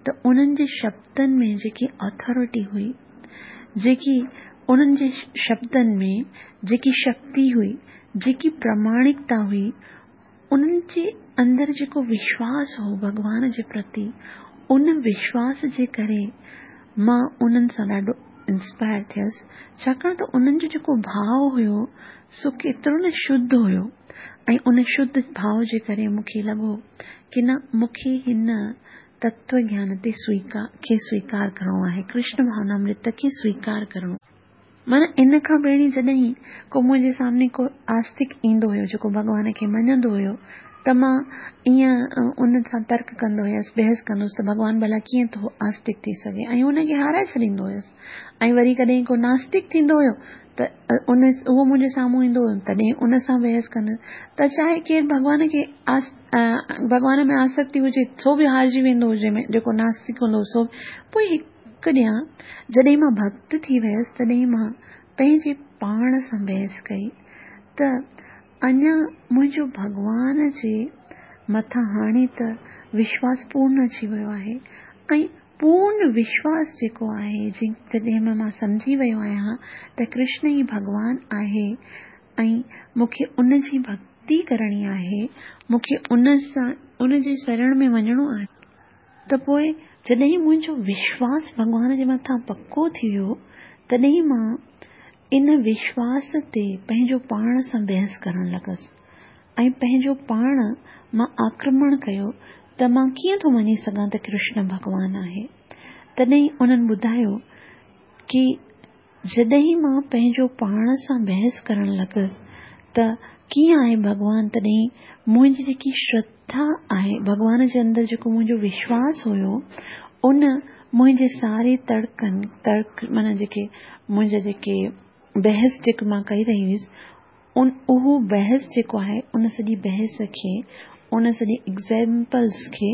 ته انهن جي شبدن ۾ جيڪي اٿارٽي هئي، جيڪي انهن جي شبدن ۾ جيڪي شڪتي هئي، جيڪي پراماڻڪتا هئي، انهن جي اندر جيڪو وشواس هو ڀڳوان جي پرتي، ان وشواس جي ڪري مان انهن سان ڏاڍو انسپائر ٿيس، ڇاڪاڻ ته انهن جو جيڪو ڀاء هيو سو ڪيترو نه شڌ هيو ۽ ان شڌ ڀاء جي ڪري مون کي لڳو ڪي نه مون کي هن تتو گيان تي سويڪار کي سويڪار ڪرڻو آهي، ڪرشن ڀاونامرت کي سويڪار ڪرڻو. معنيٰ ان کان پهرين جڏهن ڪو منهنجي سامني ڪو آستڪ ايندو هيو جيڪو ڀڳوان کي مڃندو هيو ته مان ائين ان سان ترڪ ڪندو هيس، بحث ڪندو هيس ته ڀڳوان ڀلا ڪيئن ٿو آستڪ ٿي سگهي ۽ ان کي هارائي ڇڏيندو هيس ۽ وري ڪڏهن ڪو ناستڪ ٿيندو هيو ته ان اهو منهنجي سامهون ايندو هيو تڏهن ان سان بحث ڪندس ته چاهي ڪير ڀڳوان کي ڀڳوان ۾ آسڪتي هجي سو به هارجي ويندو هجي جيڪو ناستڪ هوندو هو سو پوء هڪ ڏينهن جڏهن مان ڀڳت ٿي ويس تڏهن مان پنهنجي پاڻ سان بحث ڪئي ته اڃا منهنجو ڀڳوان جي مٿان هاڻي ته وشواس پورن اچي ويو آهي ۽ پورن وشواس جيڪو آهي، جڏهن مان سمجهي ويو آهيان ته ڪرشن ئي ڀڳوان آهي ۽ مون کي ان جي ڀڳتي ڪرڻي آهي، مون کي ان سان ان جي شرڻ ۾ وڃڻو آهي، ته پوء جڏهن منهنجو وشواس ڀڳوان جي مٿان پڪو ٿي ويو، تڏهن مان ان وشواس تي پنهنجو پاڻ سان بحث ڪرڻ لڳس. ۽ پنهنجو پاڻ مان آڪرمڻ ڪيو ته مان ڪيئن ٿو مڃي سگهان ته ڪرشن ڀڳوان آهي. تڏهن انهن ٻڌايو ڪي جڏهن مان پنهنجو پاڻ سان بحث ڪرڻ لڳس ته ڪيئن آهي ڀڳوان تڏهن منهنجي جيڪي شرڌا آهي ڀڳوان جي اندر جيڪو منهنجو وشواس هيو ان منهنجي ساري تڙڪن ترڪ معنيٰ جيڪي منهنجا جيڪي بحث جيڪي مان ڪئي رهي هيس ان اهو بحث جيڪو آهي ان سڄي بحث کي ان سڄي ايگزيمپلس کي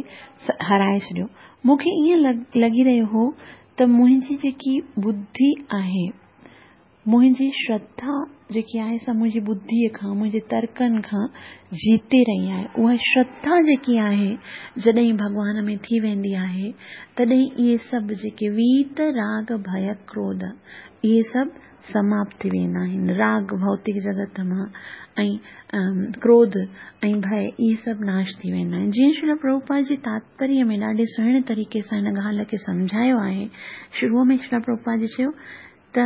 هارائي ڇڏيو. مون کي ائين لڳي رهيو هو ته منهنجي جيڪي ٻڌي آهي منهنجي شرڌا جيڪي آهي سا منهنجي ٻڌيء کان منهنجي ترڪن کان جيتي رهي آهي. اها شرڌا جيڪي آهي جڏهن ڀڳوان ۾ ٿي ويندي آهي تڏهن اهي سڀ جيڪي ويت راڳ ڀي ڪروڌ اهي سڀ سماپت ٿي ويندا آهن. راڳ ڀوتڪ جڳت مان ۽ ڪروڌ ۽ ڀئه اهي سڀ ناش ٿي ويندا آهن. جيئن شريل پرڀوپاد جي تاتپريه ۾ ڏاڍي سهڻي طريقي سان هن ڳالهه کي سمجهايو آهي. شروع ۾ شريل پرڀوپاد جي چيو ته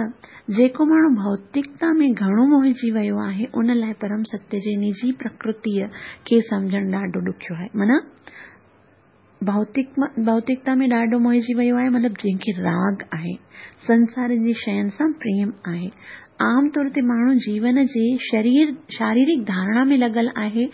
جيڪو ماڻهو ڀوتڪتا ۾ گهڻو موهجي ويو آهي ان لاء پرم ستيه جي نجي پرڪرتيء کي سمجهڻ ڏاڍو ڏکيو آهي. معنيٰ ڀوتڪتا ۾ ڏاڍو موهجي ويو آهي مطلب جنهن کي راڳ آهي، سنسار جي شين سان پريم آهي. عام طور تي ماڻهو جيون جي شرير شاريرڪ ڌارڻا ۾ لڳل آهي،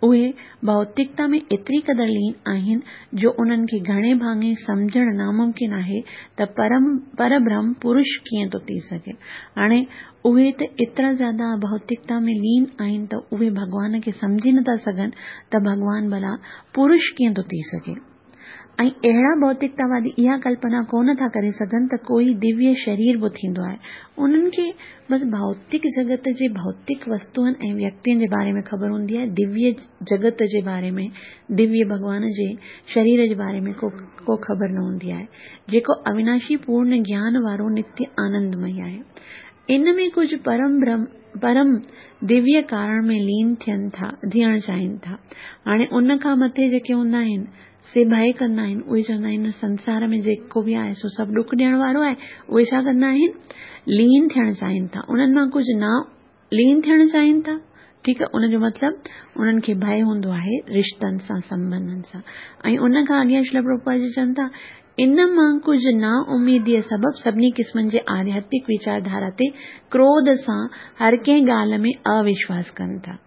اهي ڀوتڪتا ۾ ايتري قدر لين آهن جو انهن کي گهڻي ڀاڱي سمجهڻ ناممڪن آهي ته پرم پربرهم پرش ڪيئن ٿو ٿي سگهي. هاڻي اهي ته ايترا زياده ڀوتڪتا ۾ لين آهن ته اهي ڀڳوان کي سمجهي نٿا سگهن ته ڀڳوان ڀلا پرش ڪيئن ٿو ٿي سگهي؟ ۽ اهڙا ڀوتڪتاوادي اها ڪلپنا ڪونه ٿا ڪري سگهن ته ڪوئي دويه شرير به ٿيندو آهي. انهن کي بس ڀوتڪ جڳت جي ڀوتڪ وستوئن ۽ ويڪتين جي باري ۾ خبر هوندي آهي، دويه جڳت جي باري ۾، دويه ڀڳوان جي شرير جي باري ۾ ڪو ڪو خبر نه هوندي آهي، جيڪو اويناشي پورن گيان وارو نتيه آنندمئي آهي. ان ۾ ڪجهه پرم برهم پرم دويه ڪارڻ ۾ لين ٿين ٿا ٿيڻ چاهين ٿا. هاڻي ان کان مٿي جيڪي هوندا آهن سي ڀئه ڪندا آهن اهي چوندا آهن سنسار ۾ جيڪو به آهي سو سڀ ڏک ڏيڻ وارو آهي اهي ڇا ڪندا آهن لين ٿيڻ چاهين ٿا انهن مان ڪجهه نا لين ٿيڻ چاهين ٿا ٺيڪ آهي ان جو مطلب انهن کي ڀئه هوندو آهي رشتن سان سنبنڌن سان ۽ ان کان اڳيان شريل پرڀوپاد جي چون ٿا ان مان ڪجهه نا اميديء سبب سڀني قسمن جي آڌياتمڪ ويچار ڌارا تي ڪروڌ سان هر ڪنهن ڳالهه ۾ اوشواس ڪن ٿا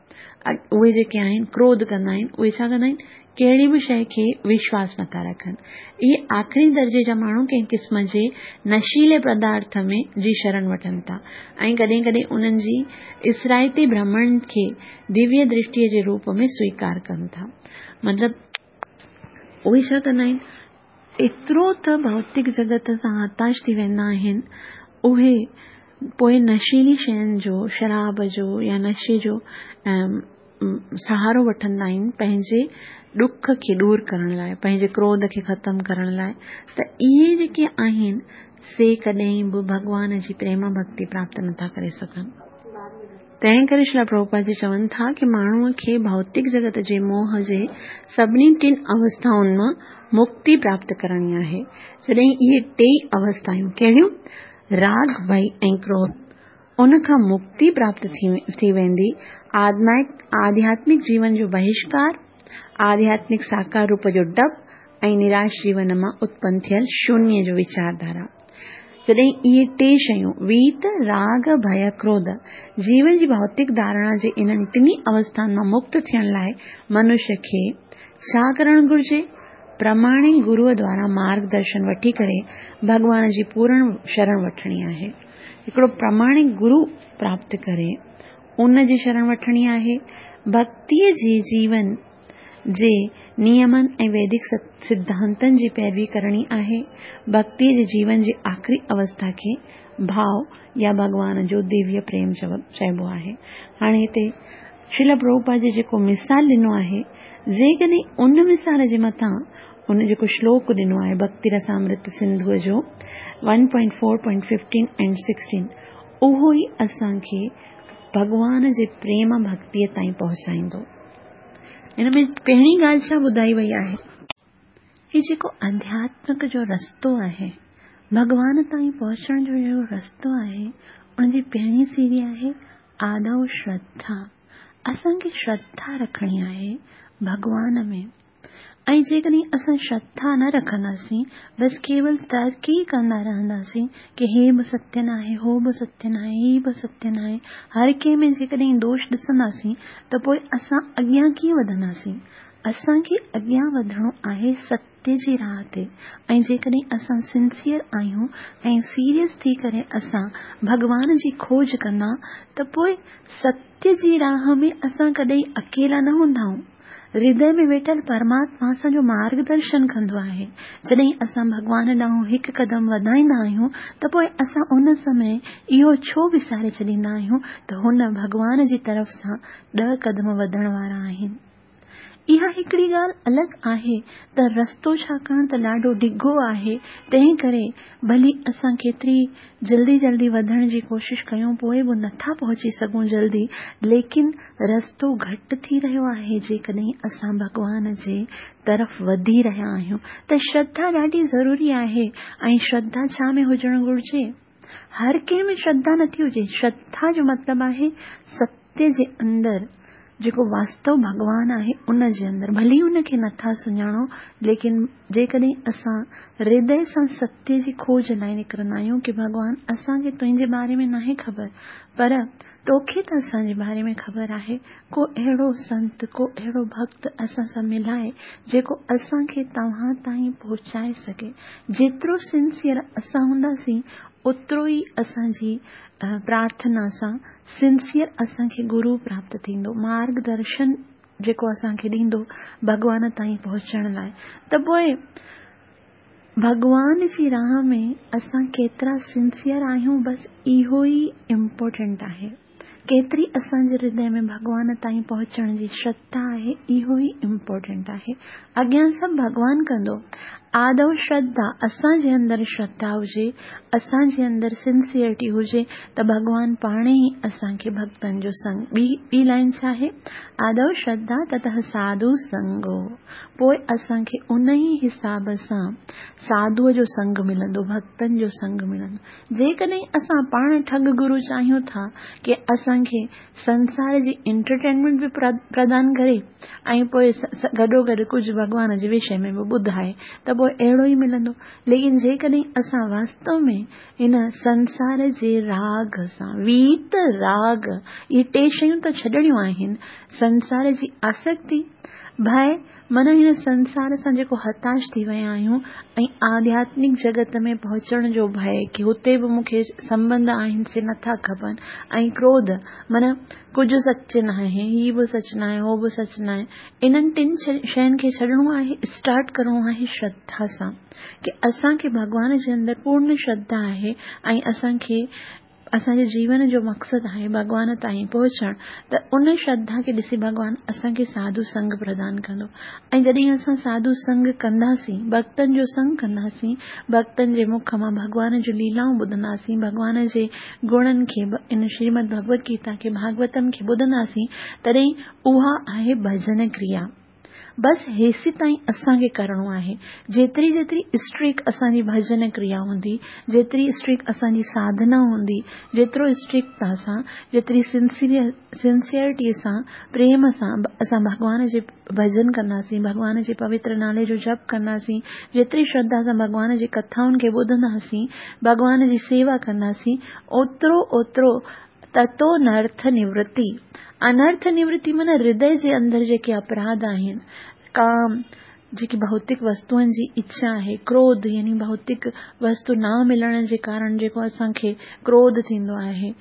اهي جيڪي آهن ڪروڌ ڪندا آهن اهي ڇا ڪندا آهن ڪهڙي به شيء کي وشواس نٿا رکن. اهي آخري درجي جا ماڻهو ڪنهن قسم جي نشيلي پدارٿ ۾ جي شرڻ وٺن ٿا ۽ ڪڏهن ڪڏهن انهن جي اثرائتي ڀرمڻ کي دويه درشٽيء جي روپ ۾ سويڪار ڪن ٿا. مطلب اهي ڇا ڪندا آهن؟ ايترو ته ڀوتڪ جڳت سان هتاش ٿي ويندا آهن، اهي پوء نشيلي شين جو، شراب جو يا نشي جو سهارو وٺندا آهن پنهنجي ڏک کي ڏور ڪرڻ لاء، پنهنجي ڪروڌ کي ختم ڪرڻ لاء ته اهي جيڪي آهن سي ڪڏهن به ڀڳوان جي پريم ڀڳتي پراپت نٿا ڪري سگهن. تنهن ڪري شريل پرڀوپاد جي چون ٿا ڪي ماڻهوء کي ڀوتڪ جڳت جي موهه جي سڀني ٽن اوسٿائن مان مڪتي پراپت ڪرڻي آهي. جڏهن اهي ٽيئي اوسٿايون، ڪهڙيون؟ راڳ، ڀئي ۽ ڪروڌ، ان کان مڪتي پراپت ٿي ويندي، آڌياتمڪ جيون جو بهشڪار، آڌياتمڪ ساڪار روپ جو ڊپ ۽ نراش جيون مان اتپن ٿيل شونيه جو ويچارڌارا. جڏهن اهي ٽي شيون، ويت، راڳ، ڀئه، ڪروڌ، جيون جي ڀوتڪ ڌارڻا جي انهن ٽنهي اوسٿائن مان مڪت ٿيڻ لاء منش کي ڇا ڪرڻ گهرجي؟ پرماڻڪ گروء دوارا مارگ درشن وٺي ڪري ڀڳوان جي پورڻ شرڻ وٺڻي آهي. هڪڙو پرماڻڪ گرو پراپت ڪري ان جي شرڻ وٺڻي آهي. ڀڳتيء جي جيون جي نيمن ۽ ويدڪ سڌانتن جي پيروي ڪرڻي آهي. ڀڳتيء جي جيون جي آخري اوسٿا کي ڀاء يا ڀڳوان جو دويه پريم چئبو آهي. هاڻي هتي شريل پرڀوپاد جي جيڪو مثال ڏنو آهي، جيڪڏهن ان مثال جي مٿان ان جيڪو شلوڪ ڏنو آهي ڀڳتي رسامرت سنڌوء جو one point four point fifteen and sixteen اهو ئي اسان کي ڀڳوان جي پريم ڀڳتيء تائين پهچائيندو. هن ۾ پهرين ڳالهه ڇا ٻڌائي وئي آهي؟ هي جيڪو آڌياتمڪ جو رستو آهي، ڀڳوان تائين پهچڻ جو جيڪو رستو آهي، ان جي پهرين سيڙهي آهي آدو شرڌا. اسان کي شرڌا رکڻي آهي ڀڳوان ۾. ۽ جيڪڏهن اسان شرڌا نه رکنداسين، بس ڪيول ترڪ ئي ڪندا رهنداسين ڪي هي به ستيه ناهي، هو به ستيه ناهي، هي به ستيه ناهي، هر ڪنهن ۾ جيڪڏهن دوش ڏسنداسين ته پوء اسان اڳيان ڪيئن وڌنداسين؟ اسان کي اڳيان وڌڻو آهي ستيه جي راهه تي ۽ جيڪڏهن اسان سنسيئر آهيون ۽ سيريس ٿي ڪري اسان ڀڳوان جي کوج ڪندا ته پوء ستيه جي راهه ۾ اسان ڪڏهن اڪيلا نه هوندائون. هردي ۾ ويٺل پرماتما اسان جو مارگ درشن ڪندو آهي. جڏهن اسان ڀڳوان ڏانهن هڪ قدم وڌائيندا آهيون ته پوء اسان ان سمي اهو ڇو وساري ڇڏيندا آهيون ته هن ڀڳوان جي طرف سان ڏهه قدم وڌڻ وارا آهن. اها هڪڙي ڳالهه الڳ آهي ته رستو ڇاڪاڻ ته ڏاڍو ڊگهو آهي تنهن ڪري ڀلي اسان ڪيتري جلدي جلدي وڌڻ جي ڪوشش ڪيون پوء به نٿا پهچي سگهون جلدي ليڪن رستو گهٽ ٿي رهيو آهي جيڪڏهن اسان ڀڳوان جي طرف وڌي رهيا آهيون ته شرڌا ڏاڍي ضروري آهي ۽ شرڌا ڇا ۾ هجڻ گهرجي؟ هر ڪنهن ۾ شرڌا نٿي هجي شرڌا جو مطلب آهي ستيه جي اندر جيڪو واستو ڀڳوان آهي ان جي اندر ڀلي ان کي نٿا سڃاڻو ليڪن جيڪڏهن اسان هردي سان ستيه جي کوج لاء نڪرندا آهيون ڪي ڀڳوان اسان کي تنهنجي باري ۾ ناهي خبر پر توکي ته اسان جي باري ۾ خبر آهي ڪو اهڙو سنت ڪو اهڙو ڀڳت اسان سان ملائي جيڪو اسان کي توهان تائين پهچائي سگهي جيترو سنسيئر اسان هونداسين اوترو ئي اسان جي پرارٿنا سان سنسيئر اسان کي گرو پراپت ٿيندو، مارگ درشن جيڪو اسان کي ڏيندو ڀڳوان تائين پهچڻ لاء ته پوء ڀڳوان جي راهه ۾ اسان ڪيترا سنسيئر آهيون بس اهو ئي امپورٽنٽ آهي. ڪيتري اسان جي هردي ۾ ڀڳوان تائين پهچڻ جي شرڌا آهي اهو ئي امپورٽنٽ آهي. اڳيان سڀ ڀڳوان ڪندو. آدو شرڌا، اسان جي اندر شرڌا هجي، اسان جي اندر سنسيئرٽي هجي ته ڀڳوان پاڻ ئي اسان کي ڀڳتن جو سنگ ٻي ٻي لائين ڇا آهي؟ آدو شرڌا تتهه ساڌو سنگو پوء اسان کي ان ئي حساب سان ساڌوء جو سنگ ملندو، ڀڳتن جو سنگ ملندو. جيڪڏهن اسان پاڻ ٺڳ گرو چاهيون ٿا ڪي اسان کي سنسار جي انٽرٽينمينٽ به پردان ڪري ۽ پوء گڏوگڏ ڪجهه ڀڳوان جي وشي ۾ به ٻڌائي ته پوء اهڙو ئي ملندو. ليڪن جيڪڏهن اسان واستو ۾ هن سنسار جي راڳ سان، ويت راڳ، اهي ٽي شيون ته ڇڏڻيون آهن، سنسار جي آسڪتي، ڀئه، معنيٰ هن سنسار سان جيڪو هتاش ٿي ويا آهيون ۽ آڌياتمڪ جڳت ۾ پهچڻ جو ڀئه ڪي هتي به مون کي سنٻنڌ آهن سي نٿا کپن ۽ ڪروڌ معنيٰ ڪجهه سچ ناهي هي به سچ ناهي هو به سچ ناهي انهن ٽن شين کي ڇڏڻو آهي اسٽارٽ ڪرڻو آهي شرڌا سان ڪي اسان کي ڀڳوان جي اندر پورن شرڌا آهي ۽ اسان کي اسان جي جيون جو مقصد آهي ڀڳوان تائين پهچڻ ته ان شرڌا کي ڏسي ڀڳوان اسان کي ساڌو سنگ پردان ڪندو ۽ جڏهن اسان ساڌو سنگ ڪنداسين ڀڳتن جو سنگ ڪنداسين ڀڳتن جي مک مان ڀڳوان جون ليلائون ٻڌنداسين ڀڳوان جي گڻن کي ان شريمد ڀڳوت گيتا کي ڀاڳوتم کي ٻڌنداسين تڏهن اها آهي ڀڄن ڪريا. بس هيسيتائين اسان کي ڪرڻو آهي. جيتري جيتري اسٽريڪ اسان جي ڀڄن ڪريا هوندي، جيتري اسٽريڪ اسان جي ساڌنا هوندي، جيترو اسٽريڪٽتا سان، جيتري سنسيئرٽي سان، پريم سان اسان ڀڳوان جي ڀڄن ڪنداسين، ڀڳوان جي پوتر نالي جو جپ ڪنداسين، جيتري شرڌا سان ڀڳوان جي ڪٿائن کي ٻڌنداسين، ڀڳوان جي سيوا ڪنداسين، اوترو اوترو تتو نرٿ نورتي، انرٿ نورتي معنيٰ هردي جي اندر جيڪي اپراڌ آهن، ڪام، جيڪي ڀوتڪ وستوئن جي اڇا آهي، ڪروڌ يعني ڀوتڪ وستو نه ملڻ جي ڪارڻ جيڪو اسان کي ڪروڌ ٿيندو آهي،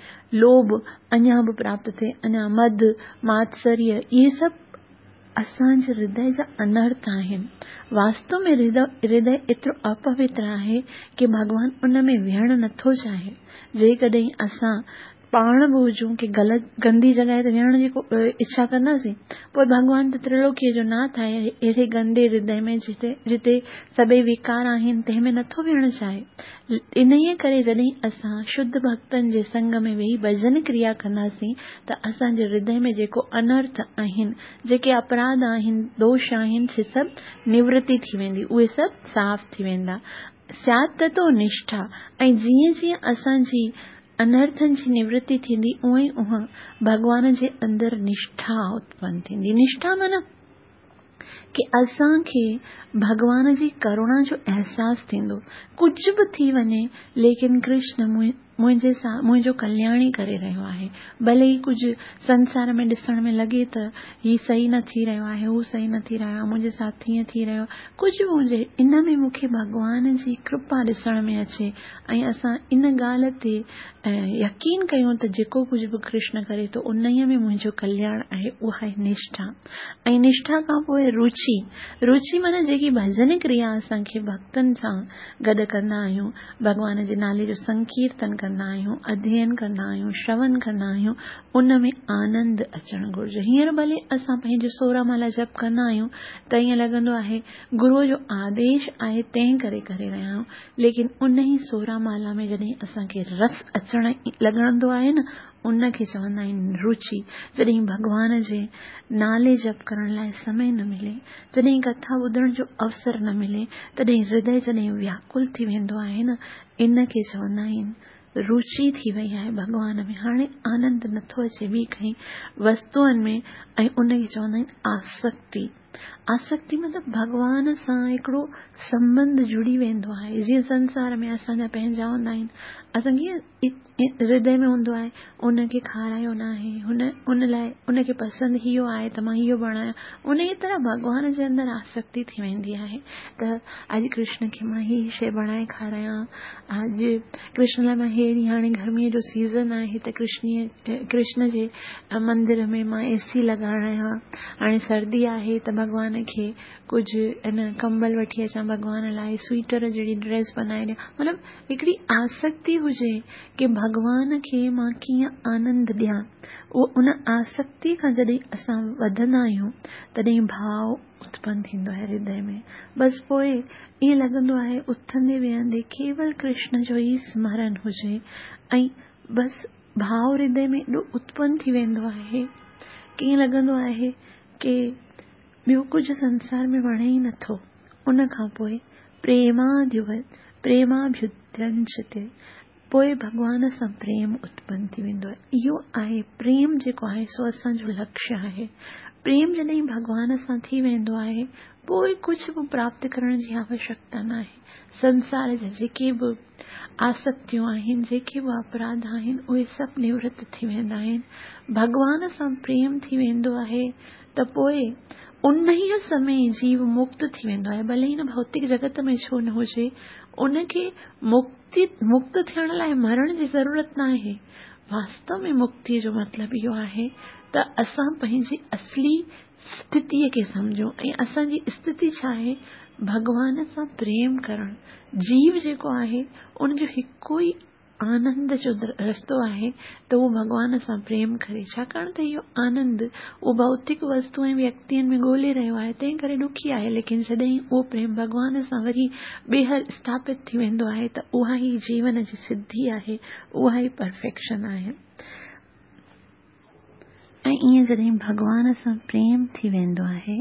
لوڀ اڃا به پراپت ٿئي، اڃا مد، ماتسريه، اهي سڀ اسان جي هردي جا انرٿ آهن. واستو ۾ هردي ايترو اپوتر آهي ڪي ڀڳوان ان ۾ ويهڻ نٿو چاهي. جيڪڏهن اسان پاڻ به هجون ڪي غلط گندي جڳهه تي ويهڻ جي اڇا ڪنداسين؟ پوء ڀڳوان ته ترلوڪيء جو ناٿ آهي، اهڙي گندي هردي ۾ جتي جتي سڀئي وڪار آهن تنهن ۾ نٿو ويهڻ چاهي. انهيء ڪري جڏهن اسان شڌ ڀڳتن جي سنگ ۾ ويهي ڀڄن ڪريا ڪنداسين ته اسان جي هردي ۾ جيڪو انرٿ آهن، جيڪي اپراڌ آهن، دوش آهن، سي سڀ نورتي ٿي ويندي، اهي سڀ صاف ٿي ويندا. سيات تتو نشٺا ۽ جيئن جيئن اسان جي انرٿن جي نورتي ٿيندي اونئن ئي اونئن ڀڳوان جي اندر نشٺا اتپن ٿيندي. نشٺا معنيٰ ڪي اسان کي ڀڳوان جي ڪروڻا جو احساس ٿيندو. ڪجهه به ٿي وڃي ليڪن ڪرشن منهنجي سان منهنجو ڪلياڻ ئي ڪري رهيو آهي. ڀلي ئي ڪجهه سنسار ۾ ڏسڻ ۾ لڳي ته هي صحيح نه ٿي رهيو آهي، هو صحيح نه ٿي رهيو آهي، منهنجي ساٿ هيئن ٿي رهيو آهي، ڪجهه به هجي ان ۾ مون کي ڀڳوان جي ڪرپا ڏسڻ ۾ اچي ۽ اسان ان ڳالهه تي يقين ڪيون ته جيڪو ڪجهه به ڪرشن ڪري ٿو انهيء ۾ منهنجو ڪلياڻ آهي اها آهي نشٺا ۽ نشٺا کان پوء روچي روچي معنيٰ جيڪي ڀڄن ڪريا اسان کي ڀڳتن سان گڏ ڪندا آهيون ڀڳوان جي نالي جو سنڪيرتن ڪندا آهيون اڌيين ڪندا آهيون شرون ڪندا آهيون ان ۾ آنند اچڻ گهرجي هينئر ڀلي اسان پنهنجو سورهن مالا جپ ڪندا آهيون ته ائين لڳندو آهي گروء جو آديش آهي تنهن ڪري ڪري رهيا آهيون ليڪن انهي سورهن مالا ۾ جڏهن اسان کي رس اچڻ لڳندو آهي نه ان کي چوندا آهن روچي جڏهن ڀڳوان جي نالي جپ ڪرڻ لاء سمي نه ملي جڏهن ڪٿا ٻڌڻ جو اوسر نه ملي تڏهن هردي جڏهن وياڪل ٿي ويندو آهي نه ان کي چوندا آهن روچي ٿي وئي آهي ڀڳوان ۾ هاڻي آنند نٿو اچي ٻي ڪنهن وستوئن ۾ ۽ ان کي چوندا آهن آسڪتي آسڪتي مطلب ڀڳوان سان هڪڙو سنٻنڌ جڙي ويندو آهي. جيئن سنسار ۾ اسان جا پنهنجا هوندا آهن، اسان کي ڪيئن هردي ۾ هوندو آهي، ان کي کارايو ناهي، هن ان لاء ان کي پسند اهو آهي ته مان اهو بڻايان. انهيء طرح ڀڳوان جي اندر آسڪتي ٿي ويندي آهي ته اڄ ڪرشن کي مان هي شيء بڻائي کارايان، اڄ ڪرشن لاء مان ههڙي هاڻي گرميء جو سيزن آهي ته ڪرشنيء ڪرشن جي مندر ۾ مان اي سي لڳارايان، هاڻي سردي آهي ته ڀڳوان کي ڪجهه ان ڪمبل وٺي اچان ڀڳوان لاء سوئيٽر جهڙي ڊريس بنائي ڏيان مطلب هڪڙي آسڪتي هجي ڪي ڀڳوان کي مان ڪيئن آنند ڏيان اهو ان آسڪتي کان جڏهن اسان وڌندا آهيون تڏهن ڀاء اتپن ٿيندو آهي هردي ۾ بس پوء ائين لڳندو آهي اٿندي ويهندي ڪيول ڪرشن جو ئي سمرن هجي ۽ بس ڀاء هردي ۾ ايڏو اتپن ٿي ويندو آهي ڪي ائين لڳندو آهي ڪي ٻيو ڪجهه سنسار ۾ وڻي ئي نٿو. ان کان پوء پريماڀيودينچتي پوء ڀڳوان سان پريم اتپن ٿي ويندو آهي. اهو آهي پريم جيڪو آهي سو اسان جو لڪشيه آهي. پريم جڏهن ڀڳوان سان ٿي ويندو آهي پوء ڪجهه به پراپت ڪرڻ جي آوشيڪتا ناهي. سنسار جا جيڪي به آسڪتيون آهن، جيڪي به اپراڌ آهن، اهي سڀ نورت ٿي ويندا آهن. ڀڳوان سان پريم ٿي ويندو آهي ته پوء انهيء سمي جيو مڪت ٿي ويندو آهي، ڀلي هن ڀوتڪ جڳت ۾ ڇو نه هجي، ان کي مڪتي مڪت ٿيڻ لاء مرڻ جي ضرورت ناهي. واستو ۾ مڪتيء جو مطلب اهو آهي ته اسان پنهنجي اصلي اسٿتيء کي سمجهون ۽ اسان جي اسٿتي ڇا آهي؟ ڀڳوان سان پريم ڪرڻ. جيو جيڪو آهي، ان جو هڪ ئي آنند جو رستو آهي ته اهو ڀڳوان سان پريم ڪري. ڇاڪاڻ ته اهو آنند اهو ڀوتڪ وستو ۽ ويڪتين ۾ ڳولي رهيو آهي، تنهن ڪري ڏکي آهي، ليڪن جڏهن اهو پريم ڀڳوان سان وري ٻيهر اسٿاپت ٿي ويندو آهي ته اها ئي جيون جي سڌي آهي، اها ئي پرفيڪشن آهي. ۽ ائين جڏهن ڀڳوان سان پريم ٿي ويندو آهي،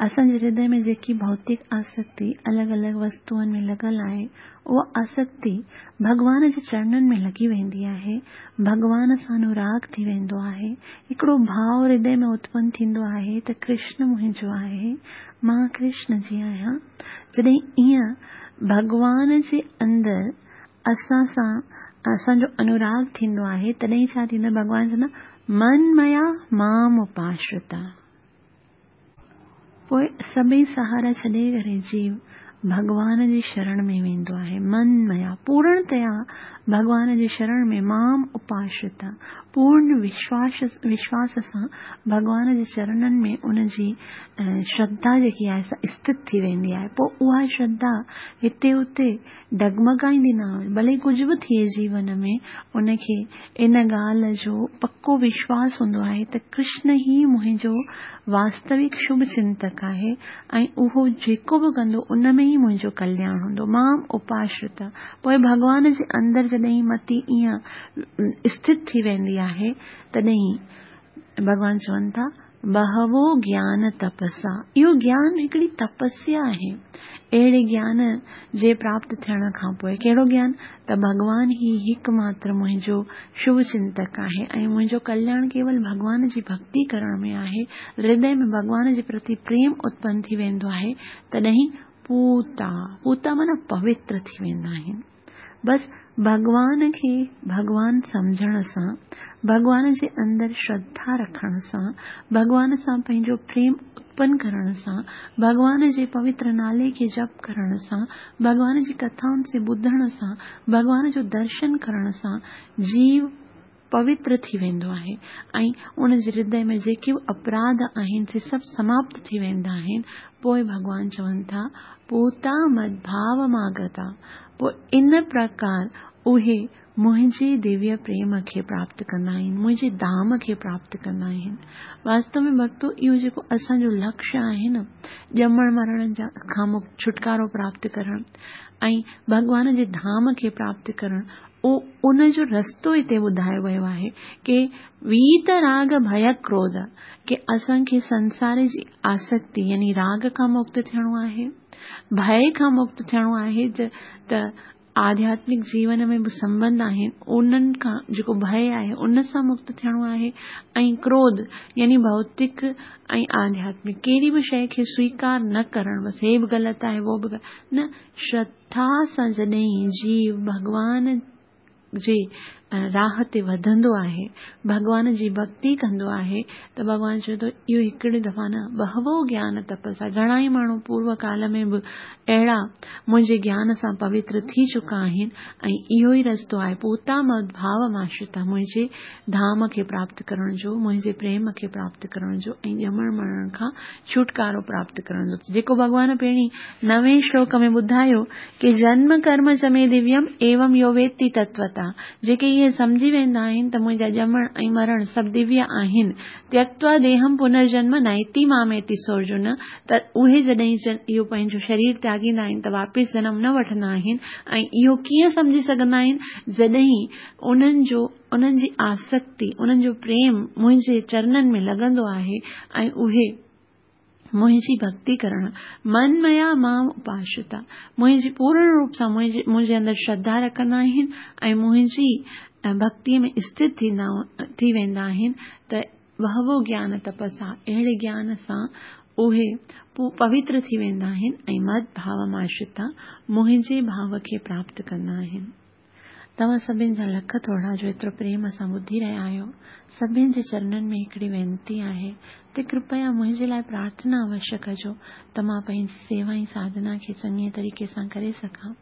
اسان جي هردي ۾ جيڪي ڀوتڪ آسڪتي الڳ الڳ وستوئن ۾ لڳل آهي، اها آسڪتي ڀڳوان جي چرنن ۾ لڳي ويندي آهي، ڀڳوان سان انوراڳ ٿي ويندو آهي، هڪڙو ڀاء هردي ۾ اتپن ٿيندو آهي ته ڪرشن منهنجو آهي، مان ڪرشن جي آهيان. جڏهن ائين ڀڳوان جي اندر اسان سان اسان جو انوراڳ ٿيندو آهي تڏهن ڇا ٿيندو آهي ڀڳوان چوندا من ميا مام اپاشرتا. پوء سڀئي سهارا ڇڏي ڪري جيو ڀڳوان جي شرڻ ۾ ويندو آهي، من ميا، پورڻتيا ڀڳوان جي شرڻ ۾ مام اپاشرتا، پورڻ وشواس سان ڀڳوان جي چرنن ۾ ان جي شرڌا جيڪي آهي سا اسٿت ٿي ويندي آهي. پوء اها شرڌا هتي هتي ڊگمگائيندي نه آهي، ڀلي ڪجهه به ٿئي جيون ۾ ان کي ان ڳالهه جو پڪو وشواس هوندو آهي ته ڪرشن ئي منهنجو واستوڪ شڀ چنتڪ آهي ۽ اهو جيڪو به ڪندو ان ۾ ئي منهنجو ڪلياڻ هوندو. مام اپاشرتا. پوء ڀڳوان جي اندر جڏهن متي ائين اسٿت ٿي ويندي آهي تڏهن ڀڳوان چون ٿا بهوو گيان تپسا، اهو گيان هڪڙي تپسيا آهي. اهڙي گيان جي پراپت ٿيڻ کان پوء، ڪهڙو گيان؟ ته ڀڳوان ئي هڪ ماتر منهنجو شڀ چنتڪ آهي ۽ منهنجو ڪلياڻ ڪيول ڀڳوان جي ڀڳتي ڪرڻ ۾ آهي. هردي ۾ ڀڳوان جي پرتي پريم اتپن ٿي ويندو آهي، تڏهن پوتا، پوتا معنيٰ پوتر ٿي ويندا آهن. بس ڀڳوان کي ڀڳوان سمجهڻ سان، ڀڳوان جي اندر شرڌا رکڻ سان، ڀڳوان سان پنهنجو پريم اتپن ڪرڻ سان، ڀڳوان جي پوتر نالي کي جپ ڪرڻ سان، ڀڳوان جي ڪٿائن سي ٻڌڻ سان، ڀڳوان جو درشن ڪرڻ سان جيو پوتر ٿي ويندو آهي ۽ ان جي هردي ۾ جيڪي به اپراڌ آهن سي سڀ سماپت ٿي ويندا آهن. پوء ڀڳوان چون ٿا، پوتا مدڀاوماگتا، پوء ان پرڪار اهي منهنجي دويه پريم کي پراپت ڪندا آهن، منهنجي ڌام کي پراپت ڪندا آهن. واستو ۾ ڀڳتو اهو جيڪو اسان جو لڪشيه آهي نه، ڄمڻ مرڻ جا کان ڇوٽڪارو پراپت ڪرڻ ۽ ڀڳوان جي ڌام کي پراپت ڪرڻ، ان جو رستو هتي ٻڌايو ويو آهي ڪي ويت راڳ ڀي ڪروڌ ڪي اسان کي سنسار جي آسڪتي يعني راڳ کان مڪت ٿيڻو آهي، ڀي کان مڪت ٿيڻو آهي ته آڌياتمڪ جيون ۾ به سنٻنڌ آهن انهن کان جيڪو ڀي آهي ان سان مڪت ٿيڻو آهي ۽ ڪروڌ يعني ڀوتڪ ۽ آڌياتمڪ ڪهڙي به شيء کي سويڪار نه ڪرڻ بس هي به غلط آهي اهو به نه شرڌا سان جڏهن جيو ڀڳوان جي راهه تي وڌندو آهي، ڀڳوان جي ڀڳتي ڪندو آهي ته ڀڳوان چوي ٿو اهو هڪڙي دفعا نه بهوو گيان تپسا گهڻا ئي ماڻهو پورو ڪال ۾ به اهڙا منهنجي گيان سان پوتر ٿي چڪا آهن ۽ اهو ئي رستو آهي پوتا مد ڀاو ماشرتا منهنجي ڌام کي پراپت ڪرڻ جو، منهنجي پريم کي پراپت ڪرڻ جو ۽ ڄمڻ مرڻ کان ڇوٽڪارو پراپت ڪرڻ جو. جيڪو ڀڳوان پهرين نوين شلوڪ ۾ ٻڌايو ڪي جنم ڪرم چ مي دويم ايوم يو ويتي تتوتا جيڪي اهي سمجهي ويندا آهن ته منهنجا ڄمڻ ۽ مرڻ سڀ دويه آهن تيڪتوا ديهم پنرجنم نائتي ماميتي سورجن ته اهي جڏهن اهو پنهنجو شرير تياڳيندا آهن ته واپس جنم نه وٺندا آهن ۽ اهو ڪيئن سمجهي سگهندا آهن جڏهن انهن جو انهن جي آسڪتي، انهن جو پريم منهنجي چرنن ۾ لڳندو آهي ۽ اهي منهنجي ڀڳتي ڪرڻ، من ميا مام اپاشرتا، منهنجي پورڻ روپ سان منهنجي اندر شرڌا رکندا آهن ۽ منهنجي ڀڳتيء ۾ اسٿت ٿيندا ٿي ويندا آهن ته بهوو گيان تپسا، اهڙي گيان سان اهي پوتر ٿي ويندا آهن ۽ مد ڀاوماشرتا، منهنجي ڀاو کي پراپت ڪندا آهن. توهان سڀن جا لک ٿورا جو ايترو پريم سان ٻڌي رهيا آهيو. سڀن جي چرنن ۾ هڪڙي وينتي آهي ته ڪرپيا منهنجي لاء پرارٿنا اوشيه ڪجو ته مان پنهنجي سيوا ۽ ساڌنا کي چڱي طريقي سان ڪري سگهان.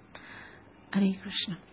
هري ڪرشن.